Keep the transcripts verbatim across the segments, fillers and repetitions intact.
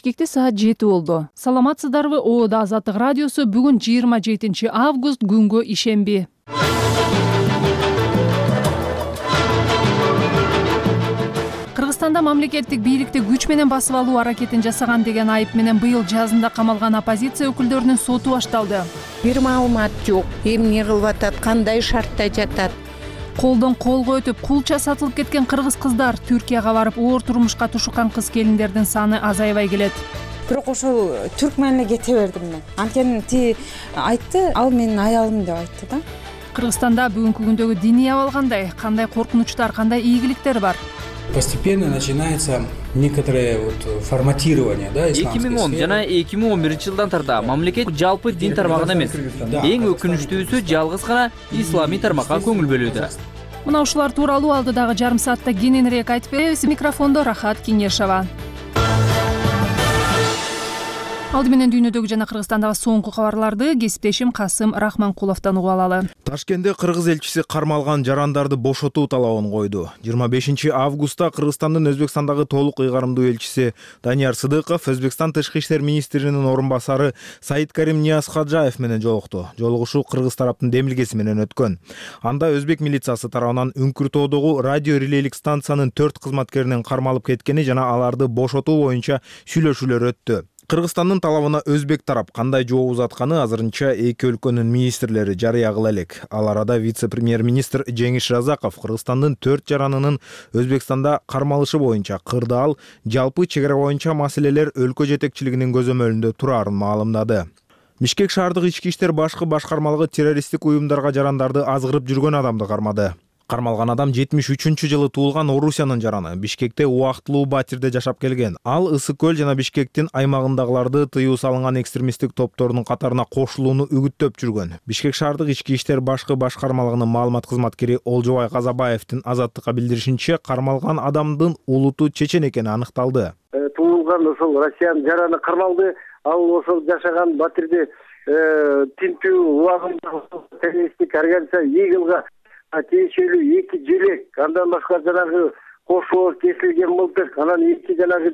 Кекте саат жети болду. Саламатсыздарбы? Оода Азаттык радиосу. Бүгүн жыйырма жетинчи август, күнгө ишемби. Кыргызстанда мамлекеттик бийликти күч менен басып алуу аракетин жасаган деген айып менен быйыл жазында камалган оппозиция өкүлдөрүнүн соту башталды. Бир маалымат жок. Эмне кылып атат, кандай шартта жатат? Колдон колго өтүп, кулча сатылып кеткен кыргыз кыздар Түркияга барып, оор турмушка тушуккан кыз келиндердин саны азайбай келет. Бирок ошол Түркмөнүнө кете бердим мен. Анткени ти айтты, ал менин аялым деп айтты да. Кыргызстанда бүгүнкү күндөгү диний абал кандай? Кандай коркунучтар, кандай ийгиликтер бар? Постепенно начинается некоторое вот форматирование, да, эки миң он жана эки миң он биринчи жылдан тарта мамлекет жалпы дин тармагына эмес, эң өкүнүчтүүсү жалгыз гана исламий тармакка көңүл бөлүүдө. Мына ушулар тууралуу алдыдагы жарым саатта кененирээк айтып беребиз. Микрофондо Рахат Кеңешова. Алды менен дүйнөдөгү жана Кыргызстандагы соңку кабарларды кесиптешим Касым Рахманкуловдон угуп алалы. Ташкентте кыргыз элчиси кармалган жарандарды бошотуу талабын койду. жыйырма бешинчи августта Кыргызстандын Өзбекстандагы толук ыйгарымдуу элчиси Данияр Сыдыков Өзбекстан тышкы иштер министринин орун басары Саидкарим Ниязхаджаев менен жолукту. Жолугушуу кыргыз тараптын демилгеси менен өткөн. Анда өзбек милициясы тарабынан Үңкүртоодогу радио релейлик станциянын төрт кызматкеринин кармалып кеткени жана аларды бошотуу боюнча сүйлөшүүлөр өттү. Кыргызстандын талабына өзбек тарап кандай жооп узатканы азырынча эки өлкөнүн министрлери жарыя кыла элек. Ал арада вице-премьер-министр Жеңиш Разаков Кыргызстандын төрт жаранынын Өзбекстанда кармалышы боюнча кырдаал жалпы чек ара боюнча маселелер өлкө жетекчилигинин көзөмөлүндө турарын маалымдады. Бишкек шаардык ички иштер башкы башкармалыгы террористтик уюмдарга жарандарды азгырып жүргөн адамды кармады. Кармалган адам жетимиш үчүнчү жылы туулган Орусиянын жараны. Бишкекте убактылуу батирде жашап келген. Ал Ысык көл жана Бишкектин аймагындагыларды тыюу салынган экстремисттик топтордун катарына кошулууну үгүттөп жүргөн. Бишкек шаардык ички иштер башкы башкармалыгынын маалымат кызматкери Олжобай Казабаевдин Азаттыкка билдиришинче, кармалган адамдын улуту чечен экени аныкталды. Туулган ошол Россиянын жараны кармалды. Ал ошол жашаган батирде тинтүү убагында террористтик организация Игылга тиешелүү эки желек, андан башка жанагы кошоо кесилген мылтык, анан эки жанагы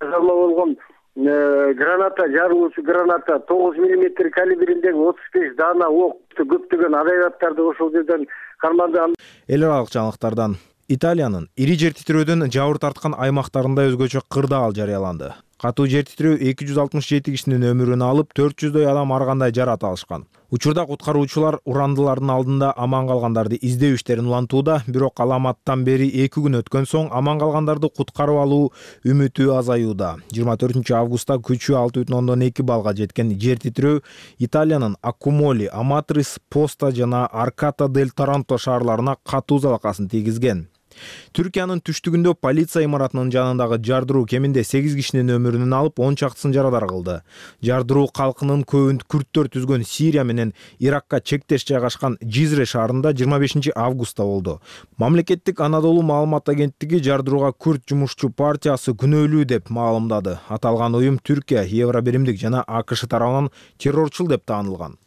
жазалма болгон граната, жарылуучу граната, тогуз миллиметр калибриндеги отуз беш даана ок, көптөгөн агрегаттарды ошол жерден карманды. Эл аралык жаңылыктардан Италиянын ири жер титирөөдөн жабыр тарткан аймактарында өзгөчө кырдаал жарыяланды. Катуу жер титирөө эки жүз алтымыш жети кишинин өмүрүн алып, төрт жүздөй адам ар кандай жарат алышкан. Учурда куткаруучулар урандылардын алдында аман калгандарды издөө иштерин улантууда, бирок аламаттан бери эки күн өткөн соң аман калгандарды куткарып алуу үмүтү азаюуда. жыйырма төртүнчү августта күчү алты бүтүн ондон эки балга жеткен жер титирөө Италиянын Аккумоли, Аматрис, Поста жана Арката дель Таранто шаарларына катуу залакасын тийгизген. Түркиянын түштүгүндө полиция имаратынын жанындагы жардыруу кеминде сегиз кишинин өмүрүн алып, он чактысын жарадар кылды. Жардыруу калкынын көбүн күрттөр түзгөн Сирия менен Иракка чектеш жайгашкан Жизре шаарында жыйырма бешинчи августта болду. Мамлекеттик Анадолу маалымат агенттиги жардырууга күрт жумушчу партиясы күнөөлүү деп маалымдады. Аталган уюм Түркия, Евробиримдик жана АКШ тарабынан террорчул деп таанылган.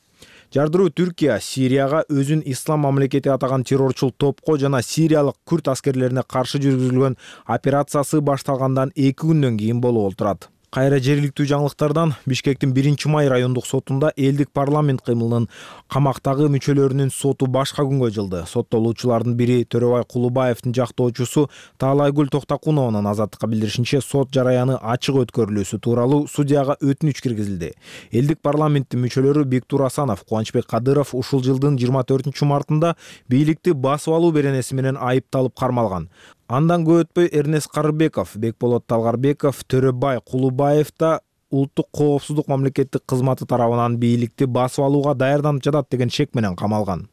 Жардыруу Түркия Сирияга өзүн ислам мамлекети атаган террорчул топко жана сириялык күрт аскерлерине каршы жүргүзүлгөн операциясы башталгандан эки күндөн кийин болуп отурат. Кайра жергиликтүү жаңылыктардан Бишкектин биринчи май райондук сотунда элдик парламент кыймылынын камактагы мүчөлөрүнүн соту башка күнгө жылды. Соттолуучулардын бири Төрөбай Кулубаевдин жактоочусу Таалайгүл Токтакунованын Азаттыкка билдиришинче, сот жараяны ачык өткөрүлүүсү тууралуу судьяга өтүнүч киргизилди. Элдик парламенттин мүчөлөрү Бектур Асанов, Кубанычбек Кадыров ушул жылдын жыйырма төртүнчү мартында бийликти басып алуу беренеси менен айыпталып кармалган. Андан көп өтпөй Эрнест Карыбеков, Бекболот Талгарбеков, Төрөбай Кулубаев да улуттук коопсуздук мамлекеттик кызматы тарабынан бийликти басып алууга даярданып жатат деген шек менен камалган.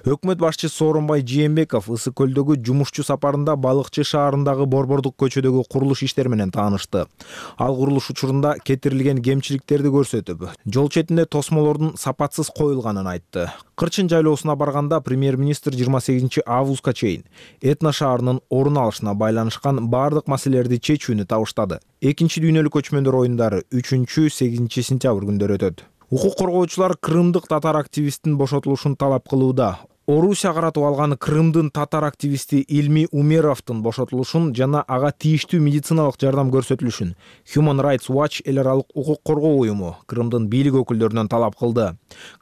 Өкмөт башчысы Сооронбай Жээнбеков Ысык көлдөгү жумушчу сапарында Балыкчы шаарындагы Борбордук көчөдөгү курулуш иштери менен таанышты. Ал курулуш учурунда кетирилген кемчиликтерди көрсөтүп, жол четинде тосмолордун сапатсыз коюлганын айтты. Кырчын жайлоосуна барганда премьер-министр жыйырма сегизинчи августка чейин Этно шаарынын орун алышына байланышкан бардык маселелерди чечүүнү табыштады. Экинчи дүйнөлүк көчмөндөр оюндары үчүнчү сегизинчи сентябрь күндөрү өтөт. Укук коргоочулар крымдык татар активисттин бошотулушун талап кылууда. Орусия каратып алган Крымдын татар активисти Илми Умеровдун бошотулушун жана ага тийиштүү медициналык жардам көрсөтүлүшүн Human Rights Watch эл аралык укук коргоо уюму Крымдын бийлик өкүлдөрүнөн талап кылды.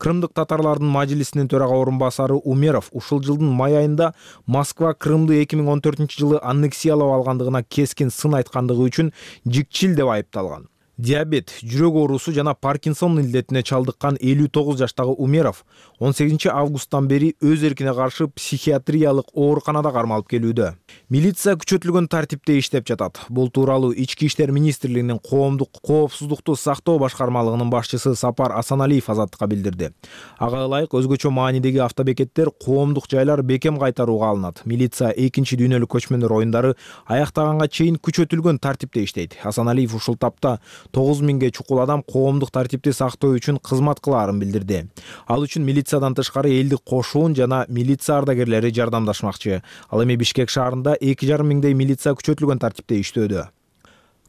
Крымдык татарлардын мажлисинин төрага орун басары Умеров ушул жылдын май айында Москва Крымды эки миң он төртүнчү жылы аннексиялап алгандыгына кескин сын айткандыгы үчүн жикчил деп айыпталган. Диабет, жүрөк оорусу жана Паркинсон илдетине чалдыккан элүү тогуз жаштагы Умеров он сегизинчи августтан бери өз эркине каршы психиатриялык ооруканада кармалып келүүдө. Милиция күчөтүлгөн тартипте иштеп жатат. Бул тууралуу Ички иштер министрлигинин коомдук коопсуздукту сактоо башкармалыгынын башчысы Сапар Асаналиев азаттыкка билдирди. Ага ылайык өзгөчө маанидеги автобекеттер, коомдук жайлар бекем кайтарууга алынат. Милиция экинчи дүйнөлүк көчмөндөр оюндары аяктаганга чейин күчөтүлгөн тартипте иштейт. Асаналиев ушул тапта тогуз миңге чукул адам коомдук тартипти сактоо үчүн кызмат кылаарын билдирди. Ал үчүн милициядан тышкары элдик кошуун жана милиция ардагерлери жардамдашмакчы. Ал эми Бишкек шаарында эки жарым миңдей милиция күчөтүлгөн тартипте иштөөдө.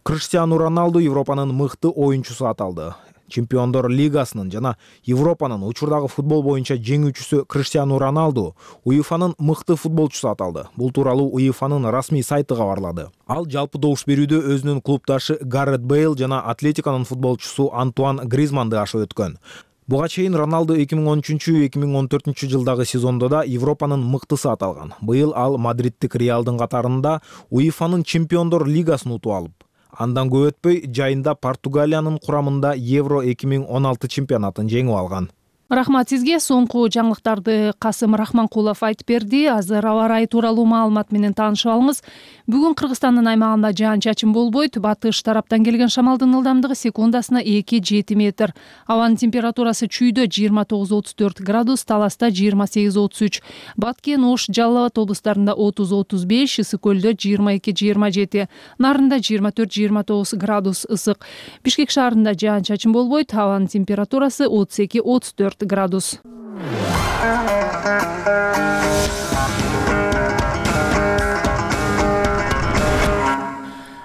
Криштиану Роналду Европанын мыкты оюнчусу аталды. Чемпиондор лигасынын жана Европанын учурдагы футбол боюнча жеңүүчүсү Криштиану Роналду УЕФАнын мыкты футболчусу аталды. Бул тууралуу УЕФАнын расмий сайты кабарлады. Ал жалпы добуш берүүдө өзүнүн клубдашы Гаррет Бейл жана Атлетиканын футболчусу Антуан Гризманды ашып өткөн. Буга чейин Роналду эки миң он үчүнчү — эки миң он төртүнчү жылдагы сезондо да Европанын мыктысы аталган. Быйыл ал Мадридтик Реалдын катарында УЕФАнын Чемпиондор лигасын утуп алып, андан көп өтпөй жайында Португалиянын курамында Евро эки миң он алты чемпионатын жеңип алган. Рахмат сизге. Соңку жаңылыктарды Касым Рахманкулов айтып берди. Азыр аба ырайы тууралуу маалымат менен таанышып алыңыз. Бүгүн Кыргызстандын аймагында жаан-чачын болбойт. Батыш тараптан келген шамалдын ылдамдыгы секундасына эки жети метр. Абанын температурасы чүйдө жыйырма тогуз отуз төрт градус, Таласта жыйырма сегиз отуз үч, Баткен, Ош, Жалал Абад облустарында отуз отуз беш, Ысык көлдө жыйырма эки жыйырма жети, Нарында жыйырма төрт жыйырма тогуз градус ысык. Бишкек шаарында жаан-чачын болбойт. Абанын температурасы отуз эки отуз төрт градус.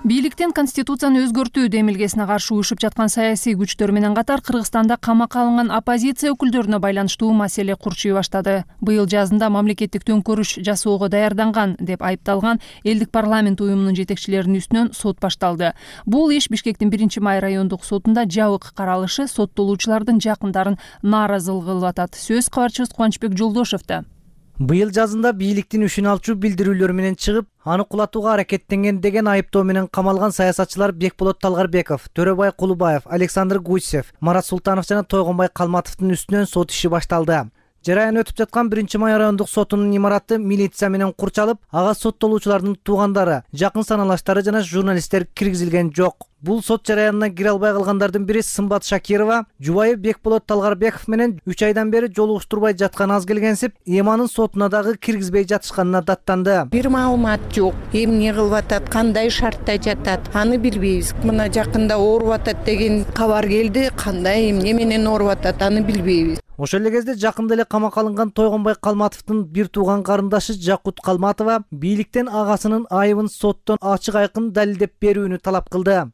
Бийликтен конституцияны өзгөртүү демилгесине каршы уюшуп жаткан саясий күчтөр менен катар Кыргызстанда камакка алынган оппозиция өкүлдөрүнө байланыштуу маселе курчуй баштады. Быйыл жазында мамлекеттик төңкөрүш жасоого даярданган деп айыпталган элдик парламент уюмунун жетекчилеринин үстүнөн сот башталды. Бул иш Бишкектин биринчи май райондук сотунда жабык каралышы соттолуучулардын жакындарын нааразылык кылып атат. Сөз кабарчыбыз Кубанычбек Жолдошевда. Быйыл жазында бийликтин үчүн алчу билдирүүлөр менен чыгып, аны кулатууга аракеттенген деген айыптоо менен камалган саясатчылар Бекболот Талгарбеков, Төрөбай Кулубаев, Александр Гусев, Марат Султанов жана Тойгонбай Калматовдун үстүнөн сот иши башталды. Жараян өтүп жаткан биринчи май райондук сотунун имараты милиция менен курчалып, ага соттолуучулардын туугандары, жакын саналаштары жана журналисттер киргизилген жок. Бул сот жараянына кире албай калгандардын бири Сымбат Шакирова, жубайы Бекболот Талгарбеков менен үч айдан бери жолугуштурбай жаткан аз келгенсип, эманын сотуна дагы киргизбей жатышканына даттанды. Бир маалымат жок. Эмне кылып атат, кандай шартта жатат, аны билбейбиз. Мына жакында ооруп атат деген кабар келди, кандай эмне менен ооруп атат, аны билбейбиз. Ошол эле кезде жакында эле камакка алынган Тойгонбай Калматовдун бир тууган карындашы Жакут Калматова бийликтен агасынын айыбын соттон ачык айкын далилдеп берүүнү талап кылды.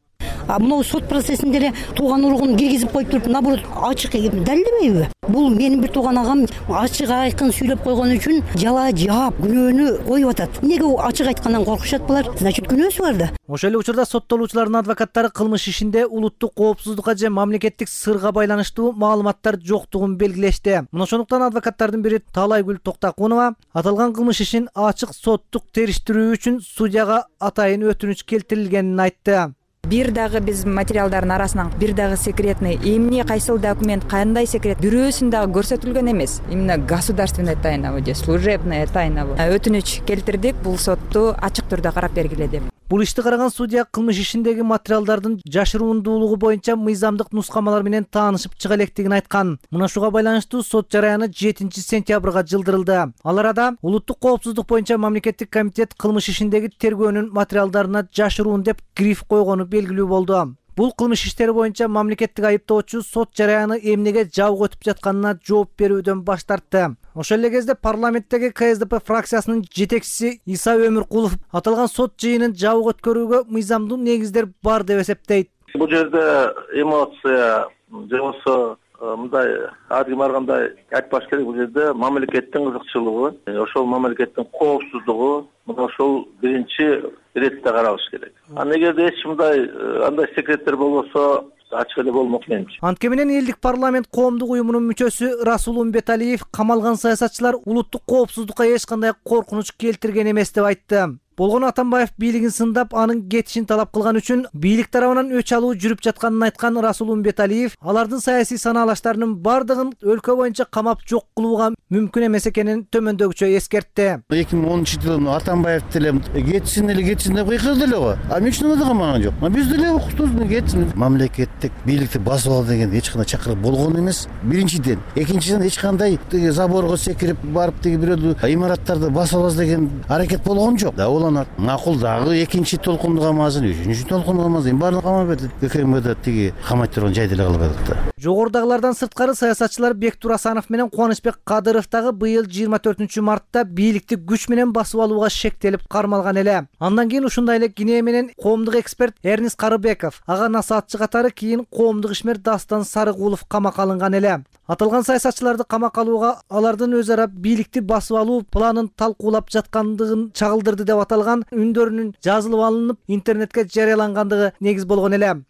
А мына сот процессинде эле тууган уругун киргизип коюп туруп, наоборот, ачык далилдебейби? Бул менин бир тууган агам ачык айкын сүйлөп койгон үчүн жала жаап күнөөнү коюп атат. Эмнеге ачык айткандан коркушат булар? Значит, күнөөсү бар да. Ошол эле учурда соттолуучулардын адвокаттары кылмыш ишинде улуттук коопсуздукка же мамлекеттик сырга байланыштуу маалыматтар жоктугун белгилешти. Мына ошондуктан адвокаттардын бири Таалайгүл Токтакунова аталган кылмыш ишин ачык соттук териштирүү үчүн судьяга атайын өтүнүч келтирилгенин айтты. Бир дагы биз материалдардын арасынан бир дагы секретный эмне кайсыл документ кандай секрет бирөөсүн дагы көрсөтүлгөн эмес. Именно государственная тайна же служебная тайна. Өтүнүч келтирдик, бул сотту ачык түрдө карап бергиле деп. Бул ишти караган судья кылмыш ишиндеги материалдардын жашырундуулугу боюнча мыйзамдык нускамалар менен таанышып чыга электигин айткан. Мына шуга байланыштуу сот жараяны жетинчи сентябрга жылдырылды. Ал арада улуттук коопсуздук боюнча мамлекеттик комитет кылмыш ишиндеги тергөөнүн материалдарына жашыруун деп гриф койгону белгилүү болду. Бул кылмыш иштери боюнча мамлекеттик айыптоочу сот жараяны эмнеге жабык өтүп жатканына жооп берүүдөн баш тартты. Ошол эле кезде парламенттеги ка эс дэ пэ фракциясынын жетекчиси Иса Өмүркулов аталган сот жыйынын жабык өткөрүүгө мыйзамдуу негиздер бар деп эсептейт. Бул жерде эмоция же болбосо мындай адым баргандай айтпаш керек, бул жерде мамлекеттин кызыкчылыгы, ошол мамлекеттин коопсуздугу мына ошол биринчи иретте каралыш керек. Анан эгерде эч мындай андай секреттер болбосо ачык эле болмок менимче. Антке менен элдик парламент коомдук уюмунун мүчөсү Расул Умбеталиев камалган саясатчылар улуттук коопсуздукка эч кандай коркунуч келтирген эмес деп айтты. Болгону Атамбаев бийлигин сындап, анын кетишин талап кылган үчүн бийлик тарабынан өч алуу жүрүп жатканын айткан Расул Умбеталиев алардын саясий санаалаштарынын бардыгын өлкө боюнча камап жок кылууга мүмкүн эмес экенин төмөндөгүчө эскертти. эки миң онунчу жылы Атамбаев деле кетсин эле кетсин деп кыйкырды эле го. А эмне үчүн аны камаган жок? Биз деле укуктуз кетсин. Мамлекеттик бийликти басып ал деген эч кандай чакырык болгон эмес. Биринчиден, экинчиден эч кандай заборго секирип барып деги бирөө имараттарды басып алабыз деген аракет болгон жок. Макул дагы экинчи толкунду камасын, үчүнчү толкунду камасын баарын камап берди. ККМда тиги камай турган жайды эле кылбадык да. Жогорудагылардан сырткары саясатчылар Бектур Асанов менен Кубанычбек Кадыров дагы быйыл жыйырма төртүнчү мартта бийликти күч менен басып алууга шектелип кармалган эле. Андан кийин ушундай эле Кине менен коомдук эксперт Эрнис Карыбеков, ага насаатчы катары кийин коомдук ишмер Дастан Сарыгулов камакка алынган эле. Аталган саясатчыларды камакка алууга алардын өз ара бийликти басып алуу планын талкуулап жаткандыгын чагылдырды деп аталган үндөрүнүн жазылып алынып интернетке жарыялангандыгы негиз болгон эле.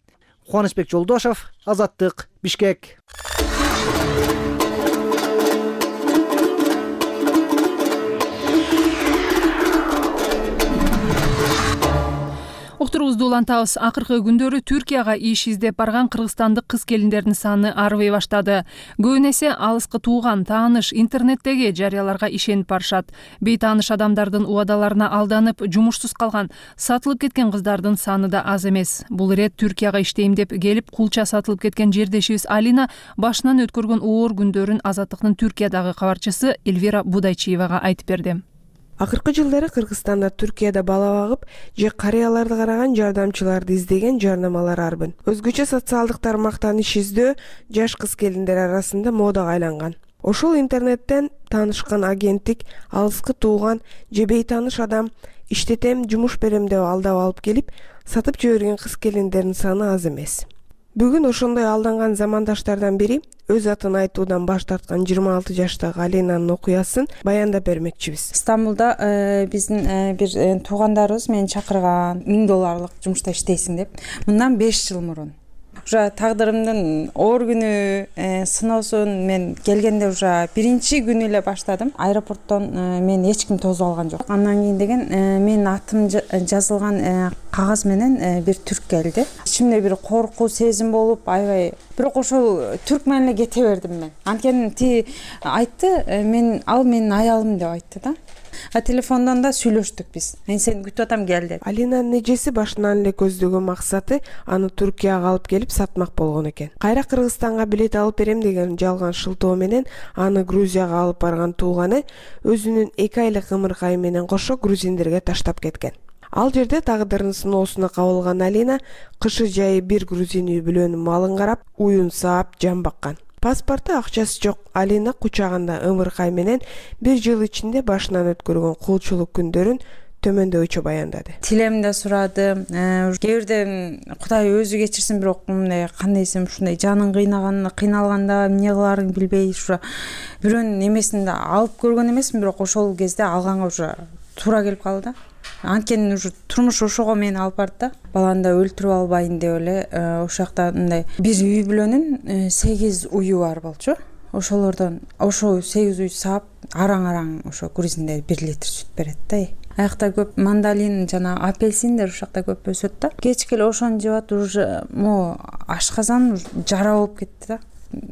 Кубанычбек Жолдошов, Азаттык, Бишкек. Уктурубузду улантабыз. Акыркы күндөрү Түркияга иш издеп барган кыргызстандык кыз келиндердин саны арыбай баштады. Көбүн эсе алыскы тууган, тааныш, интернеттеги жарыяларга ишенип барышат. Бейтааныш адамдардын убадаларына алданып, жумушсуз калган, сатылып кеткен кыздардын саны да аз эмес. Бул ирет Түркияга иштейм деп келип, кулча сатылып кеткен жердешибиз Алина башынан өткөргөн оор күндөрүн Азаттыктын Түркиядагы кабарчысы Эльвира Будайчиевага айтып берди. Акыркы жылдары Кыргызстанда, Түркияда бала багып же карыяларды караган жардамчыларды издеген жарнамалар арбын. Өзгөчө социалдык тармактан иш издөө жаш кыз келиндер арасында модага айланган. Ошол интернеттен таанышкан агенттик алыскы тууган же бейтааныш адам иштетем, жумуш берем деп алдап алып келип, сатып жиберген кыз келиндердин саны аз эмес. Бүгүн ошондой алданган замандаштардан бири өз атын айтуудан баш тарткан жыйырма алты жаштагы Алинанын окуясын баяндап бермекчибиз. Стамбулда биздин бир туугандарыбыз мени чакырган, миң долларлык жумушта иштейсиң деп. Мындан беш жыл мурун. Уже тагдырымдын оор күнү сыноосун мен келгенде уже биринчи күнү эле баштадым. Аэропорттон мен эч ким тосуп алган жок. Андан кийин деген менин атым жазылган кагаз менен бир түрк келди. Ичимде бир коркуу сезим болуп, аябай. Бирок ошол түрк менен эле кете бердим мен. Анткени ти айтты, мен ал менин аялым деп айтты да. А телефондон да сүйлөштүк биз. Мен сени күтүп атам, кел деп. Алинанын эжеси башынан эле көздөгөн максаты аны Түркияга алып келип сатмак болгон экен. Кайра Кыргызстанга билет алып берем деген жалган шылтоо менен аны Грузияга алып барган тууганы өзүнүн эки айлык ымыркайы менен кошо грузиндерге таштап кеткен. Ал жерде тагдырынын сыноосуна кабылган Алина кышы жайы бир грузин үй бүлөнүн малын карап, уюн саап, жан баккан. Паспорту, акчасы жок. Алина кучагында ымыркай менен бир жыл ичинде башынан өткөргөн кулчулук күндөрүн төмөндөгүчө баяндады. Тилемди сурадым. Кээ бирде Кудай өзү кечирсин, бирок мындай кандайсым ушундай жаның кыйнаган, кыйналганда эмне кыларын билбей, ушу бирөөнүн эмесин да алып көргөн эмесмин, бирок ошол кезде алганга уже туура келип калды да. Анткени уже турмуш ошого мени алып барды да. Баланы да өлтүрүп албайын деп эле ошол жакта мындай бир үй бүлөнүн сегиз уyu бар болчу. Ошолордон ошо сегиз уй саап, араң-араң ошо грузиндер бир литр сүт берет да. Аякта көп мандалин жана апельсиндер ошол жакта көп өсөт да. Кечке эле ошону жеп атып уже мо ашказан жара болуп кетти да.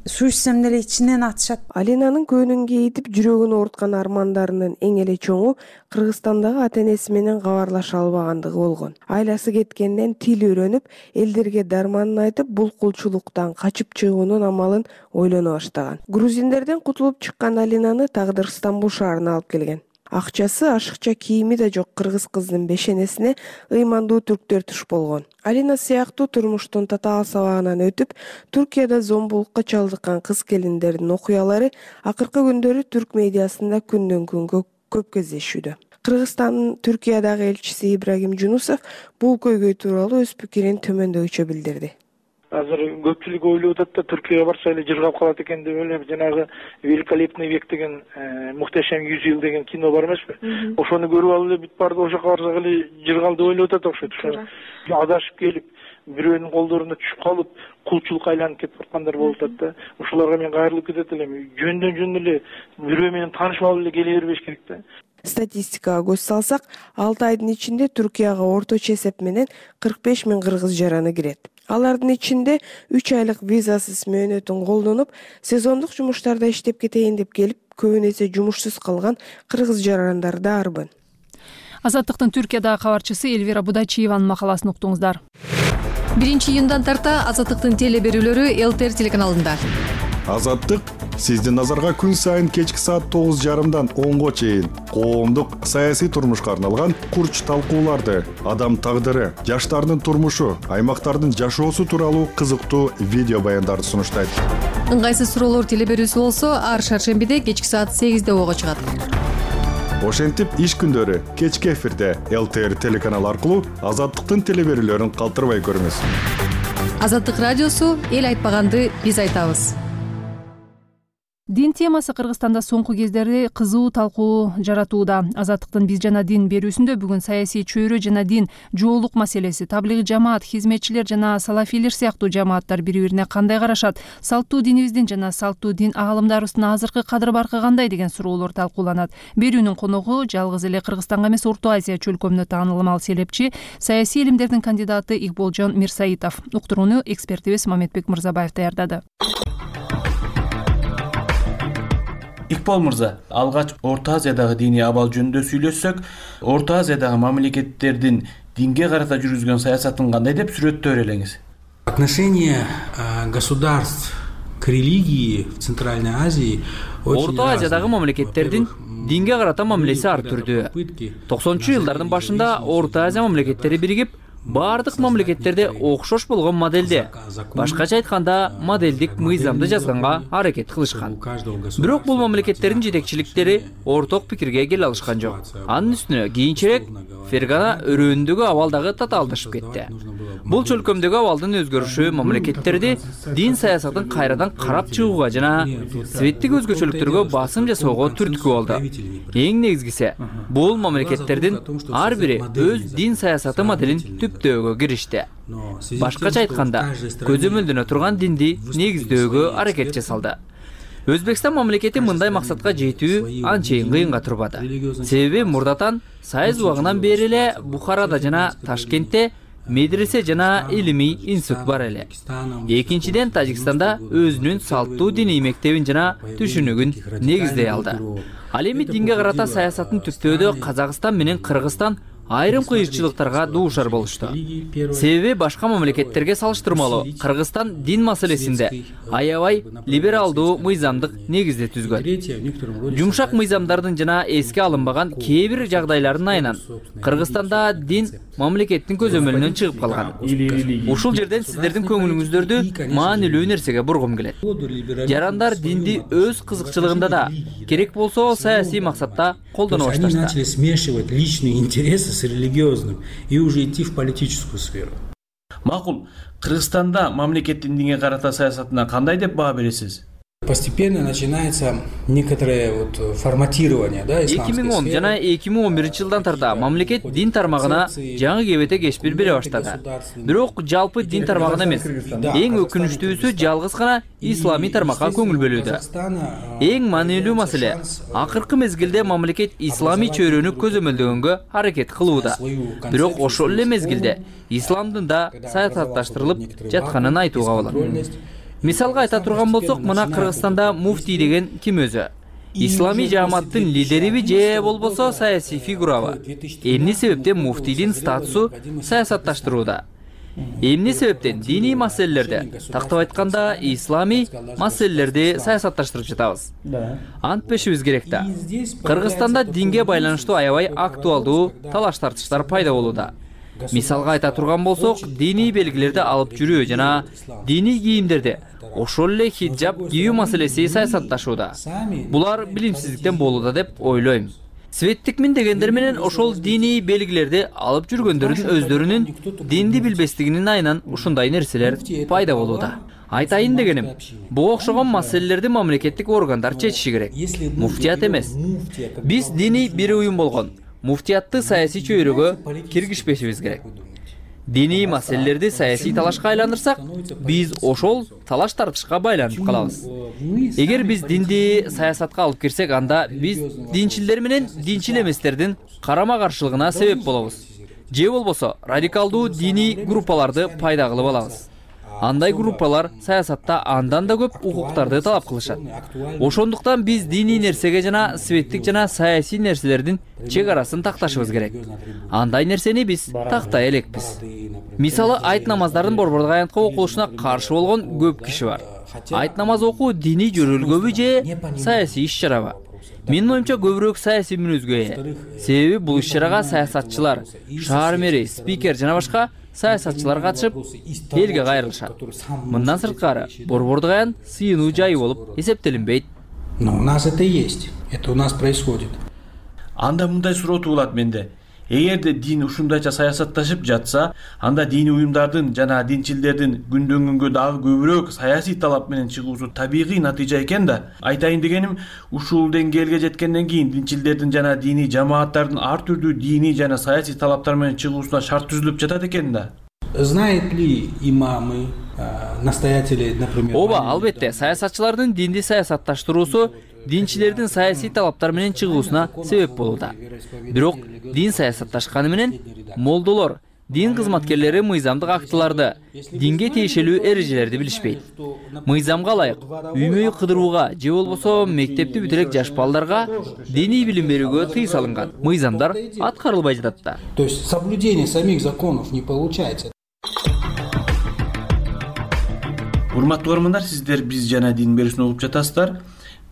Суу ичсем деле ичинен атышат. Алинанын көңүн кейитип, жүрөгүн оорткан армандарынын эң эле чоңу Кыргызстандагы ата-энеси менен кабарлаша албагандыгы болгон. Айласы кеткенден тил үйрөнүп, элдерге дарманын айтып, бул кулчулуктан качып чыгуунун амалын ойлоно баштаган. Грузиндерден кутулуп чыккан Алинаны тагдыр Стамбул шаарына алып келген. Акчасы, ашыкча кийими да жок кыргыз кыздын бешенесине ыймандуу түрктөр туш болгон. Алина сыяктуу турмуштун татаал сабагынан өтүп, Түркияда зомбулукка чалдыккан кыз келиндердин окуялары акыркы күндөрү түрк медиасында күндөн күнгө көп кездешүүдө. Кыргызстандын Түркиядагы элчиси Ибрагим Жунусов бул көйгөй тууралуу өз пикирин төмөндөгүчө билдирди. азыр көпчүлүк ойлоп атат да Түркияга барса эле жыргап калат экен деп эле жанагы «Великолепный век» деген «Мухтешем жүз жыл» деген кино бар эмеспи? Ошону көрүп алып эле бүт барды ошоко барсак эле жыргал деп ойлоп атат окшойт. Ошо адашып келип бирөөнүн колдоруна түшүп калып кулчулукка айланып кетип аткандар болуп атат да. Ошолорго мен кайрылып кетет элем. Жөндөн жөн эле бирөө менен таанышып алып эле келе бербеш керек да. Статистикага көз салсак, алты айдын ичинде Түркияга орточо эсеп менен кырк беш миң кыргыз жараны кирет. Алардын ичинде үч айлык визасыз мөөнөтүн колдонуп, сезондук жумуштарда иштеп кетейин деп келип, көбүн эсе жумушсуз калган кыргыз жарандар да арбын. Азаттыктын Түркиядагы кабарчысы Эльвира Будачиеванын макаласын уктуңуздар. биринчи июндан тарта Азаттыктын теле берүүлөрү ЛТР телеканалында. Азаттык сиздин назарга күн сайын кечки саат тогуз жарымдан онго чейин коомдук саясий турмушка арналган курч талкууларды, адам тагдыры, жаштардын турмушу, аймактардын жашоосу тууралуу кызыктуу видео баяндарды сунуштайт. Ыңгайсыз суроолор теле берүүсү болсо, ар шаршембиде кечки саат сегизде ого чыгат. Ошентип иш күндөрү кечки эфирде ЛТР телеканалы аркылуу Азаттыктын теле берүүлөрүн калтырбай көрүңүз. Азаттык радиосу эл айтпаганды биз айтабыз. Дин темасы Кыргызстанда соңку кездери кызуу талкуу жаратууда. Азаттыктын биз жана дин берүүсүндө бүгүн саясий чөйрө жана дин жоолук маселеси, таблигый жамаат, хизметчилер жана салафилер сыяктуу жамааттар бири-бирине кандай карашат, салттуу динибиздин жана салттуу дин аалымдарыбыздын азыркы кадыр-баркы кандай деген суроолор талкууланат. Берүүнүн коногу жалгыз эле Кыргызстанга эмес, Орто Азия чөлкөмүнө таанылмал селепчи, саясий илимдердин кандидаты Игболжон Мирсаитов. Уктурууну экспертибиз Мамедбек Мырзабаев даярдады. Икбол мырза, алгач Орто Азиядагы диний абал жөнүндө сүйлөшсөк, Орто Азиядагы мамлекеттердин динге карата жүргүзгөн саясатын кандай деп сүрөттөөр элеңиз? Отношение государств к религии в Центральной Азии Орто Азиядагы мамлекеттердин динге карата мамилеси ар түрдүү. токсонунчу жылдардын башында Орто Азия мамлекеттери биригип, бардык мамлекеттерде окшош болгон моделде, башкача айтканда модельдик мыйзамды жазганга аракет кылышкан. Бирок бул мамлекеттердин жетекчиликтери орток пикирге келе алышкан жок. Анын үстүнө кийинчерээк Фергана өрөөнүндөгү абал дагы татаалдашып кетти. Бул чөлкөмдөгү абалдын өзгөрүшү мамлекеттерди дин саясатын кайрадан карап чыгууга жана светтик өзгөчөлүктөргө басым жасоого түрткү болду. Эң негизгиси, бул мамлекеттердин ар бири өз дин саясаты моделин түптөөгө киришти. Башкача айтканда, көзөмөлдөнө турган динди негиздөөгө аракет жасалды. Өзбекстан мамлекети мындай максатка жетүү анчейин кыйынга турбады. Себеби мурдатан Сайыз убагынан бери эле Бухарада жана Ташкентте медресе жана илимий институт бар эле. Экинчиден, Тажикстанда өзүнүн салттуу диний мектебин жана түшүнүгүн негиздей алды. Ал эми динге карата саясатын түптөөдө Казакстан менен Кыргызстан айрым кыйынчылыктарга дуушар болушту. Себеби башка мамлекеттерге салыштырмалуу Кыргызстан дин маселесинде аябай либералдуу мыйзамдык негизде түзгөн. Жумшак мыйзамдардын жана эске алынбаган кээ бир жагдайлардын айынан Кыргызстанда дин мамлекеттин көзөмөлүнөн чыгып калган. Ушул жерден сиздердин көңүлүңүздөрдү маанилүү нерсеге бургум келет. Жарандар динди өз кызыкчылыгында да, керек болсо саясий максатта колдоно башташты. С религиозным и уже идти в политическую сферу. Макул, Кыргызстанда мамлекеттин динге карата саясатына кандай деп баа бересиз? Постепенно начинается некоторое вот форматирование, да, эки миң он жана эки миң он биринчи жылдан тарта мамлекет дин тармагына жаңы кебете кеспир бере баштады. Бирок жалпы дин тармагына эмес, эң өкүнүчтүүсү жалгыз гана исламий тармакка көңүл бөлүүдө. Эң маанилүү маселе, акыркы мезгилде мамлекет исламий чөйрөнү көзөмөлдөгөнгө аракет кылууда. Бирок ошол эле мезгилде исламдын да саясатташтырылып жатканын айтууга болот. Мисалга айта турган болсок, мына Кыргызстанда муфтий деген ким өзү? Исламий жааматтын лидериби же болбосо саясий фигурабы? Эмне себептен муфтийдин статусу саясатташтырууда? Эмне себептен диний маселелерде, тактап айтканда исламий маселелерди саясатташтырып жатабыз? Антпешибиз керек да. Кыргызстанда динге байланыштуу аябай актуалдуу талаш-тартыштар пайда болууда. Мисалга айта турган болсок, диний белгилерди алып жүрүү жана диний кийимдерди, ошол эле хиджаб кийүү маселеси саясатташууда. Булар билимсиздиктен болууда деп ойлойм. светтик мин дегендер менен ошол диний белгилерди алып жүргөндөрдүн өздөрүнүн динди билбестигинин айынан ушундай нерселер пайда болууда. Айтайын дегеним, буга окшогон маселелерди мамлекеттик органдар чечиши керек. Муфтият эмес. Биз диний бир уюм болгон муфтиятты саясий чөйрөгө киргизбешибиз керек. Диний маселелерди саясий талашка айландырсак, биз ошол талаш тартышка байланып калабыз. Эгер биз динди саясатка алып кирсек, анда биз динчилдер менен динчил эместердин карама-каршылыгына себеп болобуз. Же болбосо радикалдуу диний группаларды пайда кылып алабыз. Андай группалар саясатта андан да көп укуктарды талап кылышат. Ошондуктан биз диний нерсеге жана светтик жана саясий нерселердин чек арасын такташыбыз керек. Андай нерсени биз тактай элекпиз. Мисалы, айт намаздардын борбордук аянтка окулушуна каршы болгон көп киши бар. Айт намаз окуу диний жөрөлгөбү же саясий иш-чарабы? Менин оюмча көбүрөөк саясий мүнөзгө ээ. Себеби бул иш-чарага саясатчылар, шаар мэри, спикер жана башка саясатчылар катышып, элге кайрылышат. Мындан сырткары, борбордук аян сыйынуу жайы болуп эсептелинбейт. Но у нас это есть. Это у нас происходит. Анда мындай суроо туулат менде. Эгерде дин ушундайча саясатташып жатса, анда диний уюмдардын жана динчилдердин күндөн күнгө дагы көбүрөөк саясий талап менен чыгуусу табигый натыйжа экен да. Айтайын дегеним, ушул деңгээлге жеткенден кийин динчилдердин жана диний жамааттардын ар түрдүү диний жана саясий талаптар менен чыгуусуна шарт түзүлүп жатат экен да. Знает ли имамы, настоятели, например... Оба, албетте, саясатчылардын динди саясатташтыруусу динчилердин саясий талаптар менен чыгуусуна себеп болууда. Бирок дин саясатташканы менен молдолор, дин кызматкерлери мыйзамдык актыларды, динге тиешелүү эрежелерди билишпейт. Мыйзамга ылайык үй-мөй кыдырууга же болбосо мектепти бүтүрек жаш балдарга диний билим берүүгө тыюу салынган. Мыйзамдар аткарылбай жатат да. То есть соблюдение самих законов не получается. Урматтуу көрөрмандар, сиздер биз жана дин берүүсүн угуп жатасыздар.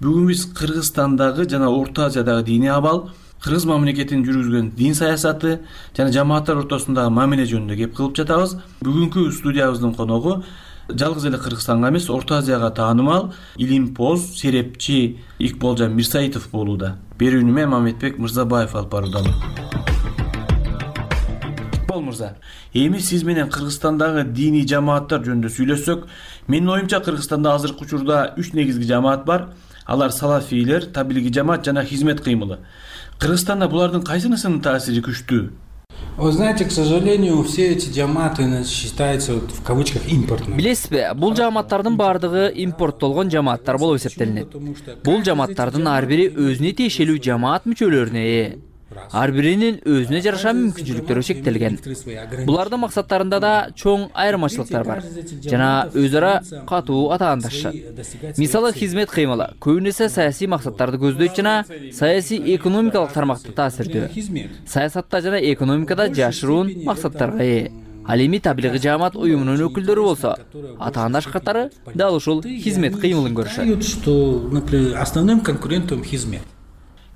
Бүгүн биз Кыргызстандагы жана Орто Азиядагы диний абал, Кыргыз мамлекетинин жүргүзгөн дин саясаты жана жамааттар ортосундагы мамиле жөнүндө кеп кылып жатабыз. Бүгүнкү студиябыздын коногу жалгыз эле Кыргызстанга эмес, Орто Азияга таанымал илимпоз, серепчи Икболжан Мирсаитов болууда. Берүүнү мен Мамедбек Мырзабаев алып баруудамын. Икбол мырза, эми сиз менен Кыргызстандагы диний жамааттар жөнүндө сүйлөшсөк, менин оюмча Кыргызстанда азыркы учурда үч негизги жамаат бар. Алар салафийлер, таблиги жамаат жана хизмет кыймылы. Кыргызстанда булардын кайсынысынын таасири күчтүү? Вы знаете, к сожалению, все эти жамааты считаются вот, в кавычках импортными. Билесизби, бул жамааттардын баардыгы импорттолгон жамааттар болуп эсептелинет. Бул жамааттардын ар бири өзүнө тиешелүү жамаат мүчөлөрүнө ээ. Ар биринин өзүнө жараша мүмкүнчүлүктөрү шектелген. Булардын максаттарында да чоң айырмачылыктар бар жана өз ара катуу атаандашышат. Мисалы, хизмет кыймылы көбүнесе саясий максаттарды көздөйт жана саясий экономикалык тармакта таасирдүү. Саясатта жана экономикада жашыруун максаттарга ээ. Ал эми таблиги жамаат уюмунун өкүлдөрү болсо, атаандаш катары дал ушул хизмет кыймылын көрүшөт. Что, например, основным конкурентом хизмет.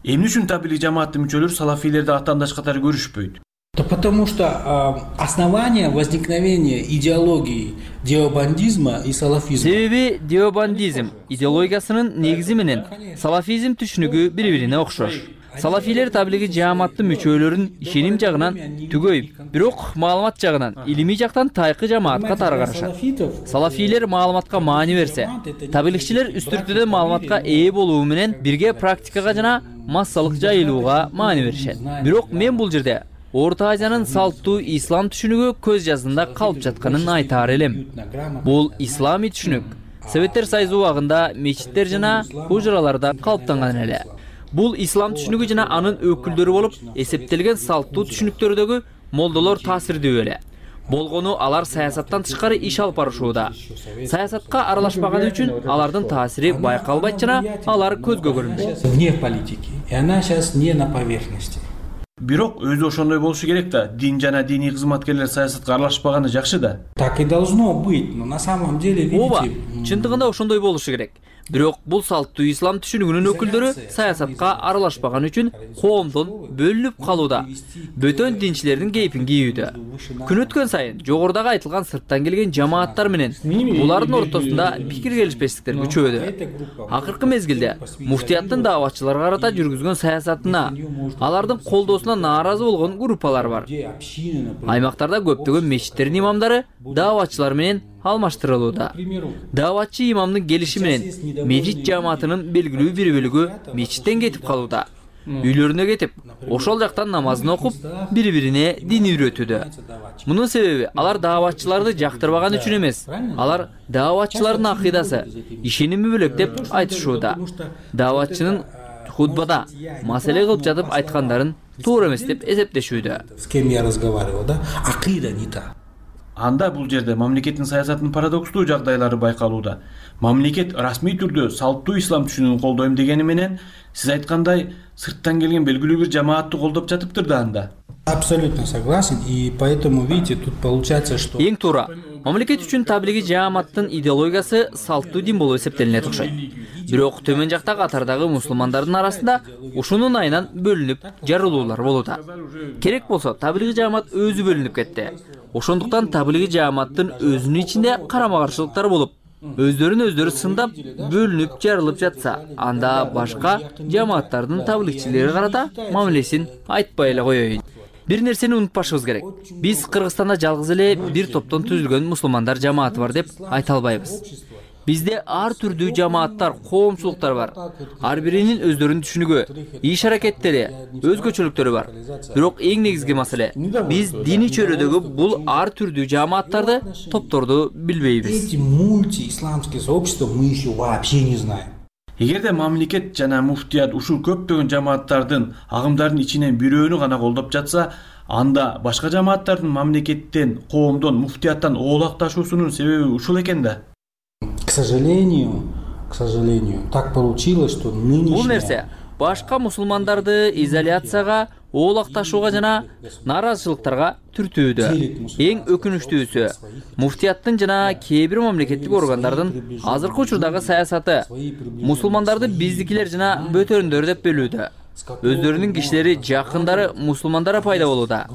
Эмне үчүн таблиги жамааттын мүчөлөрү салафийлерди атаандаш катары көрүшпөйт? Да потому что э, основание возникновения идеологии деобандизма и салафизма. Себеби деобандизм идеологиясынын негизи менен салафизм түшүнүгү бири-бирине окшош. Салафийлер таблиги жамааттын мүчөлөрүн ишеним жагынан түгөйүп, бирок маалымат жагынан, илимий жактан тайкы жамаатка таргарышат. Салафийлер маалыматка маани берсе, таблигчилер үстүртүдө маалыматка ээ болуу менен бирге практикага жана массалык жайылууга маани беришет. Бирок мен бул жерде Орто Азиянын салттуу ислам түшүнүгү көз жазында калып жатканын айтаар элем. Бул исламий түшүнүк Советтер Союзу убагында мечиттер жана хужраларда калыптанган эле. Бул ислам түшүнүгү жана анын өкүлдөрү болуп эсептелген салттуу түшүнүктөрдөгү молдолор таасирдүү эле. Болгону алар саясаттан тышкары иш алып барышууда. Саясатка аралашпаганы үчүн алардын таасири байкалбайт жана алар көзгө көрүнбөйт. Вне политики. И она сейчас не на поверхности. Бирок өзү ошондой болушу керек да. Дин жана диний кызматкерлер саясатка аралашпаганы жакшы да. Так и должно быть, но на самом деле, видите... Ооба, чындыгында ошондой болушу керек. Бирок бул салттуу ислам түшүнүгүнүн өкүлдөрү саясатка аралашпаган үчүн коомдон бөлүнүп калууда, бөтөн динчилердин кейпин кийүүдө. Күн өткөн сайын жогорудагы айтылган сырттан келген жамааттар менен булардын ортосунда пикир келишпестиктер күчөдү. Акыркы мезгилде муфтияттын дааватчыларга карата жүргүзгөн саясатына, алардын колдоосуна нааразы болгон группалар бар. Аймактарда көптөгөн мечиттердин имамдары дааватчылар менен алмаштырылууда. Дааватчы имамдын келиши менен мечит жамаатынын белгилүү бир бөлүгү мечиттен кетип калууда. Үйлөрүнө кетип, ошол жактан намазын окуп, бири-бирине дин үйрөтүүдө. Мунун себеби алар дааватчыларды жактырбаган үчүн эмес. Алар дааватчылардын акыйдасы, ишеними бөлөк деп айтышууда. Дааватчынын хутбада маселе кылып жатып айткандарын туура эмес деп эсептешүүдө. С кем я разговаривал, да? Акыйда не та. Анда бул жерде мамлекеттин саясатынын парадокстуу жагдайлары байкалууда. Мамлекет расмий түрдө салттуу ислам түшүнүгүн колдойм дегени менен, сиз айткандай, сырттан келген белгилүү бир жамаатты колдоп жатыптыр да анда. Абсолютно согласен, и поэтому, видите, тут получается, что... Эң туура. Мамлекет үчүн таблиги жааматтын идеологиясы салттуу дин болуп эсептелинет окшойт. Бирок төмөн жакта катардагы мусулмандардын арасында ушунун айынан бөлүнүп жарылуулар болууда. Керек болсо, таблиги жаамат өзү бөлүнүп кетти. Ошондуктан таблиги жааматтын өзүнүн ичинде карама-каршылыктар болуп, өздөрүн өздөрү сындап, бөлүнүп жарылып жатса, анда башка жааматтардын таблигчилери карата мамилесин айтпай эле коеюн. Бир нерсени унутпашыбыз керек. Биз Кыргызстанда жалгыз эле бир топтон түзүлгөн мусулмандар жамааты бар деп айта албайбыз. Бизде ар түрдүү жамааттар, коомчулуктар бар. Ар биринин өздөрүнүн түшүнүгү, иш аракеттери, өзгөчөлүктөрү бар. Бирок эң негизги маселе, биз диний чөйрөдөгү бул ар түрдүү жамааттарды, топторду билбейбиз. Эти мультиисламские сообщества мы еще вообще не знаем. Эгерде мамлекет жана муфтият ушул көптөгөн жамааттардын, агымдардын ичинен бирөөнү гана колдоп жатса, анда башка жамааттардын мамлекеттен, коомдон, муфтияттан оолакташуусунун себеби ушул экен да. К сожалению, к сожалению, так получилось, что нынешняя... Бул нерсе башка мусулмандарды изоляцияга, оолакташууга жана нааразычылыктарга түртүүдө. Эң өкүнүчтүүсү, муфтияттын жана кээ бир мамлекеттик органдардын азыркы учурдагы саясаты мусулмандарды биздикилер жана бөтөрүндөр деп бөлүүдө. Өздөрүнүн кишилери, жакындары мусулмандара пайда болууда.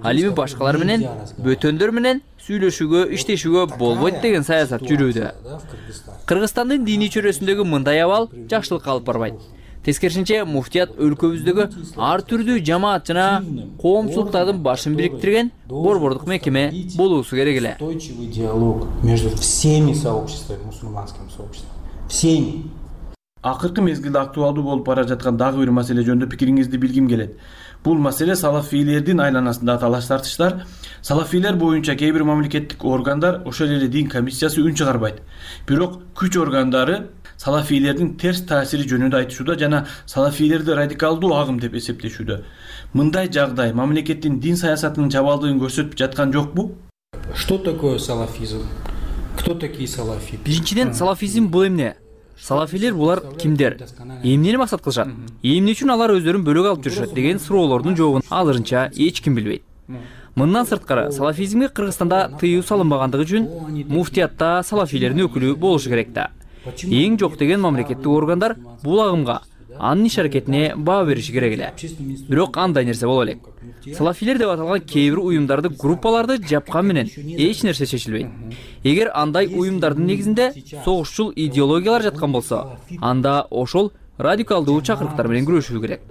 Ал эми башкалар менен, бөтөндөр менен сүйлөшүүгө, иштешүүгө болбойт деген саясат жүрүүдө. Кыргызстандын диний чөйрөсүндөгү мындай абал жакшылыкка алып барбайт. Тескерисинче, муфтият өлкөбүздөгү ар түрдүү жамаат жана коомчулуктардын башын бириктирген борбордук мекеме болуусу керек эле. Устойчивый диалог между всеми сообществами, мусульманскими сообществами. Всеми. Акыркы мезгилде актуалдуу болуп бара жаткан дагы бир маселе жөнүндө пикириңизди билгим келет. Бул маселе салафийлердин айланасында талаш тартыштар. Салафийлер боюнча кээ бир мамлекеттик органдар, ошол эле дин комиссиясы үн чыгарбайт. Бирок күч органдары салафийлердин терс таасири жөнүндө айтышууда жана салафийлерди радикалдуу агым деп эсептешүүдө. Мындай жагдай мамлекеттин дин саясатынын чабалдыгын көрсөтүп жаткан жокпу? Что такое салафизм? Кто такие салафи? Биринчиден, салафизм бул эмне? Салафилер булар кимдер? Эмнени максат кылышат? Эмне үчүн алар өздөрүн бөлөк алып жүрүшөт деген суроолордун жообун азырынча эч ким билбейт. Мындан сырткары, салафизмге Кыргызстанда тыюу салынбагандыгы үчүн муфтиятта салафилердин өкүлү болушу керек да. Эң жок деген мамлекеттик органдар бул агымга, анын иш аракетине баа бериши керек эле. Бирок андай нерсе боло элек. Салафилер деп аталган кээ бир уюмдарды, группаларды жапкан менен эч нерсе чечилбейт. Эгер андай уюмдардын негизинде согушчул идеологиялар жаткан болсо, анда ошол радикалдуу чакырыктар менен күрөшүү керек.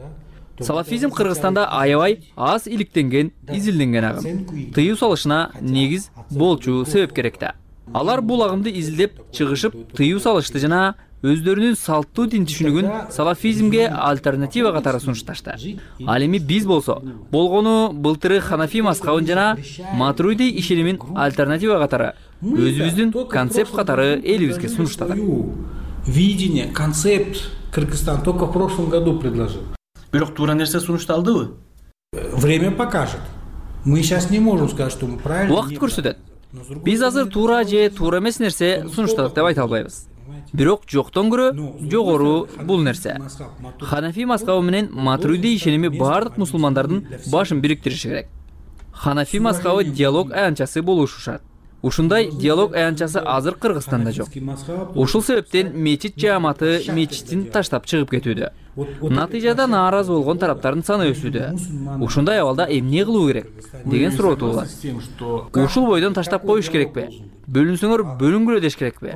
Салафизм Кыргызстанда аябай аз иликтенген, изилденген агым. Тыюу салышына негиз болчу себеп керек да. Алар бул агымды изилдеп, чыгышып, тыюу салышты жана өздөрүнүн салттуу дин түшүнүгүн салафизмге альтернатива катары сунушташты. Ал эми биз болсо, болгону былтыры Ханафи мазхабын жана Матуриди ишенимин альтернатива катары өзүбүздүн концепт катары элибизге сунуштадык. Видение, концепт Кыргызстан только в прошлом году предложил. Бирок туура нерсе сунушталдыбы? Время покажет. Мы сейчас не можем сказать, что мы правильно. Убакыт көрсөтөт. Биз азыр туура же туура эмес нерсе сунуштадык деп айта албайбыз. Бирок жоктон көрө жогору бул нерсе. Ханафи мазхабы менен Матуриди ишеними бардык мусулмандардын башын бириктириши керек. Ханафи мазхабы диалог аянтчасы болушушат. Ушундай диалог аянтчасы азыр Кыргызстанда жок. Ушул себептен мечит жааматы мечитин таштап чыгып кетүүдө. Натыйжада нааразы болгон тараптардын саны өсүүдө. Ушундай абалда эмне кылуу керек деген суроо туулат. Ушул бойдон таштап коюш керекпи? Бөлүнсөңөр бөлүнгүлө деш керекпи?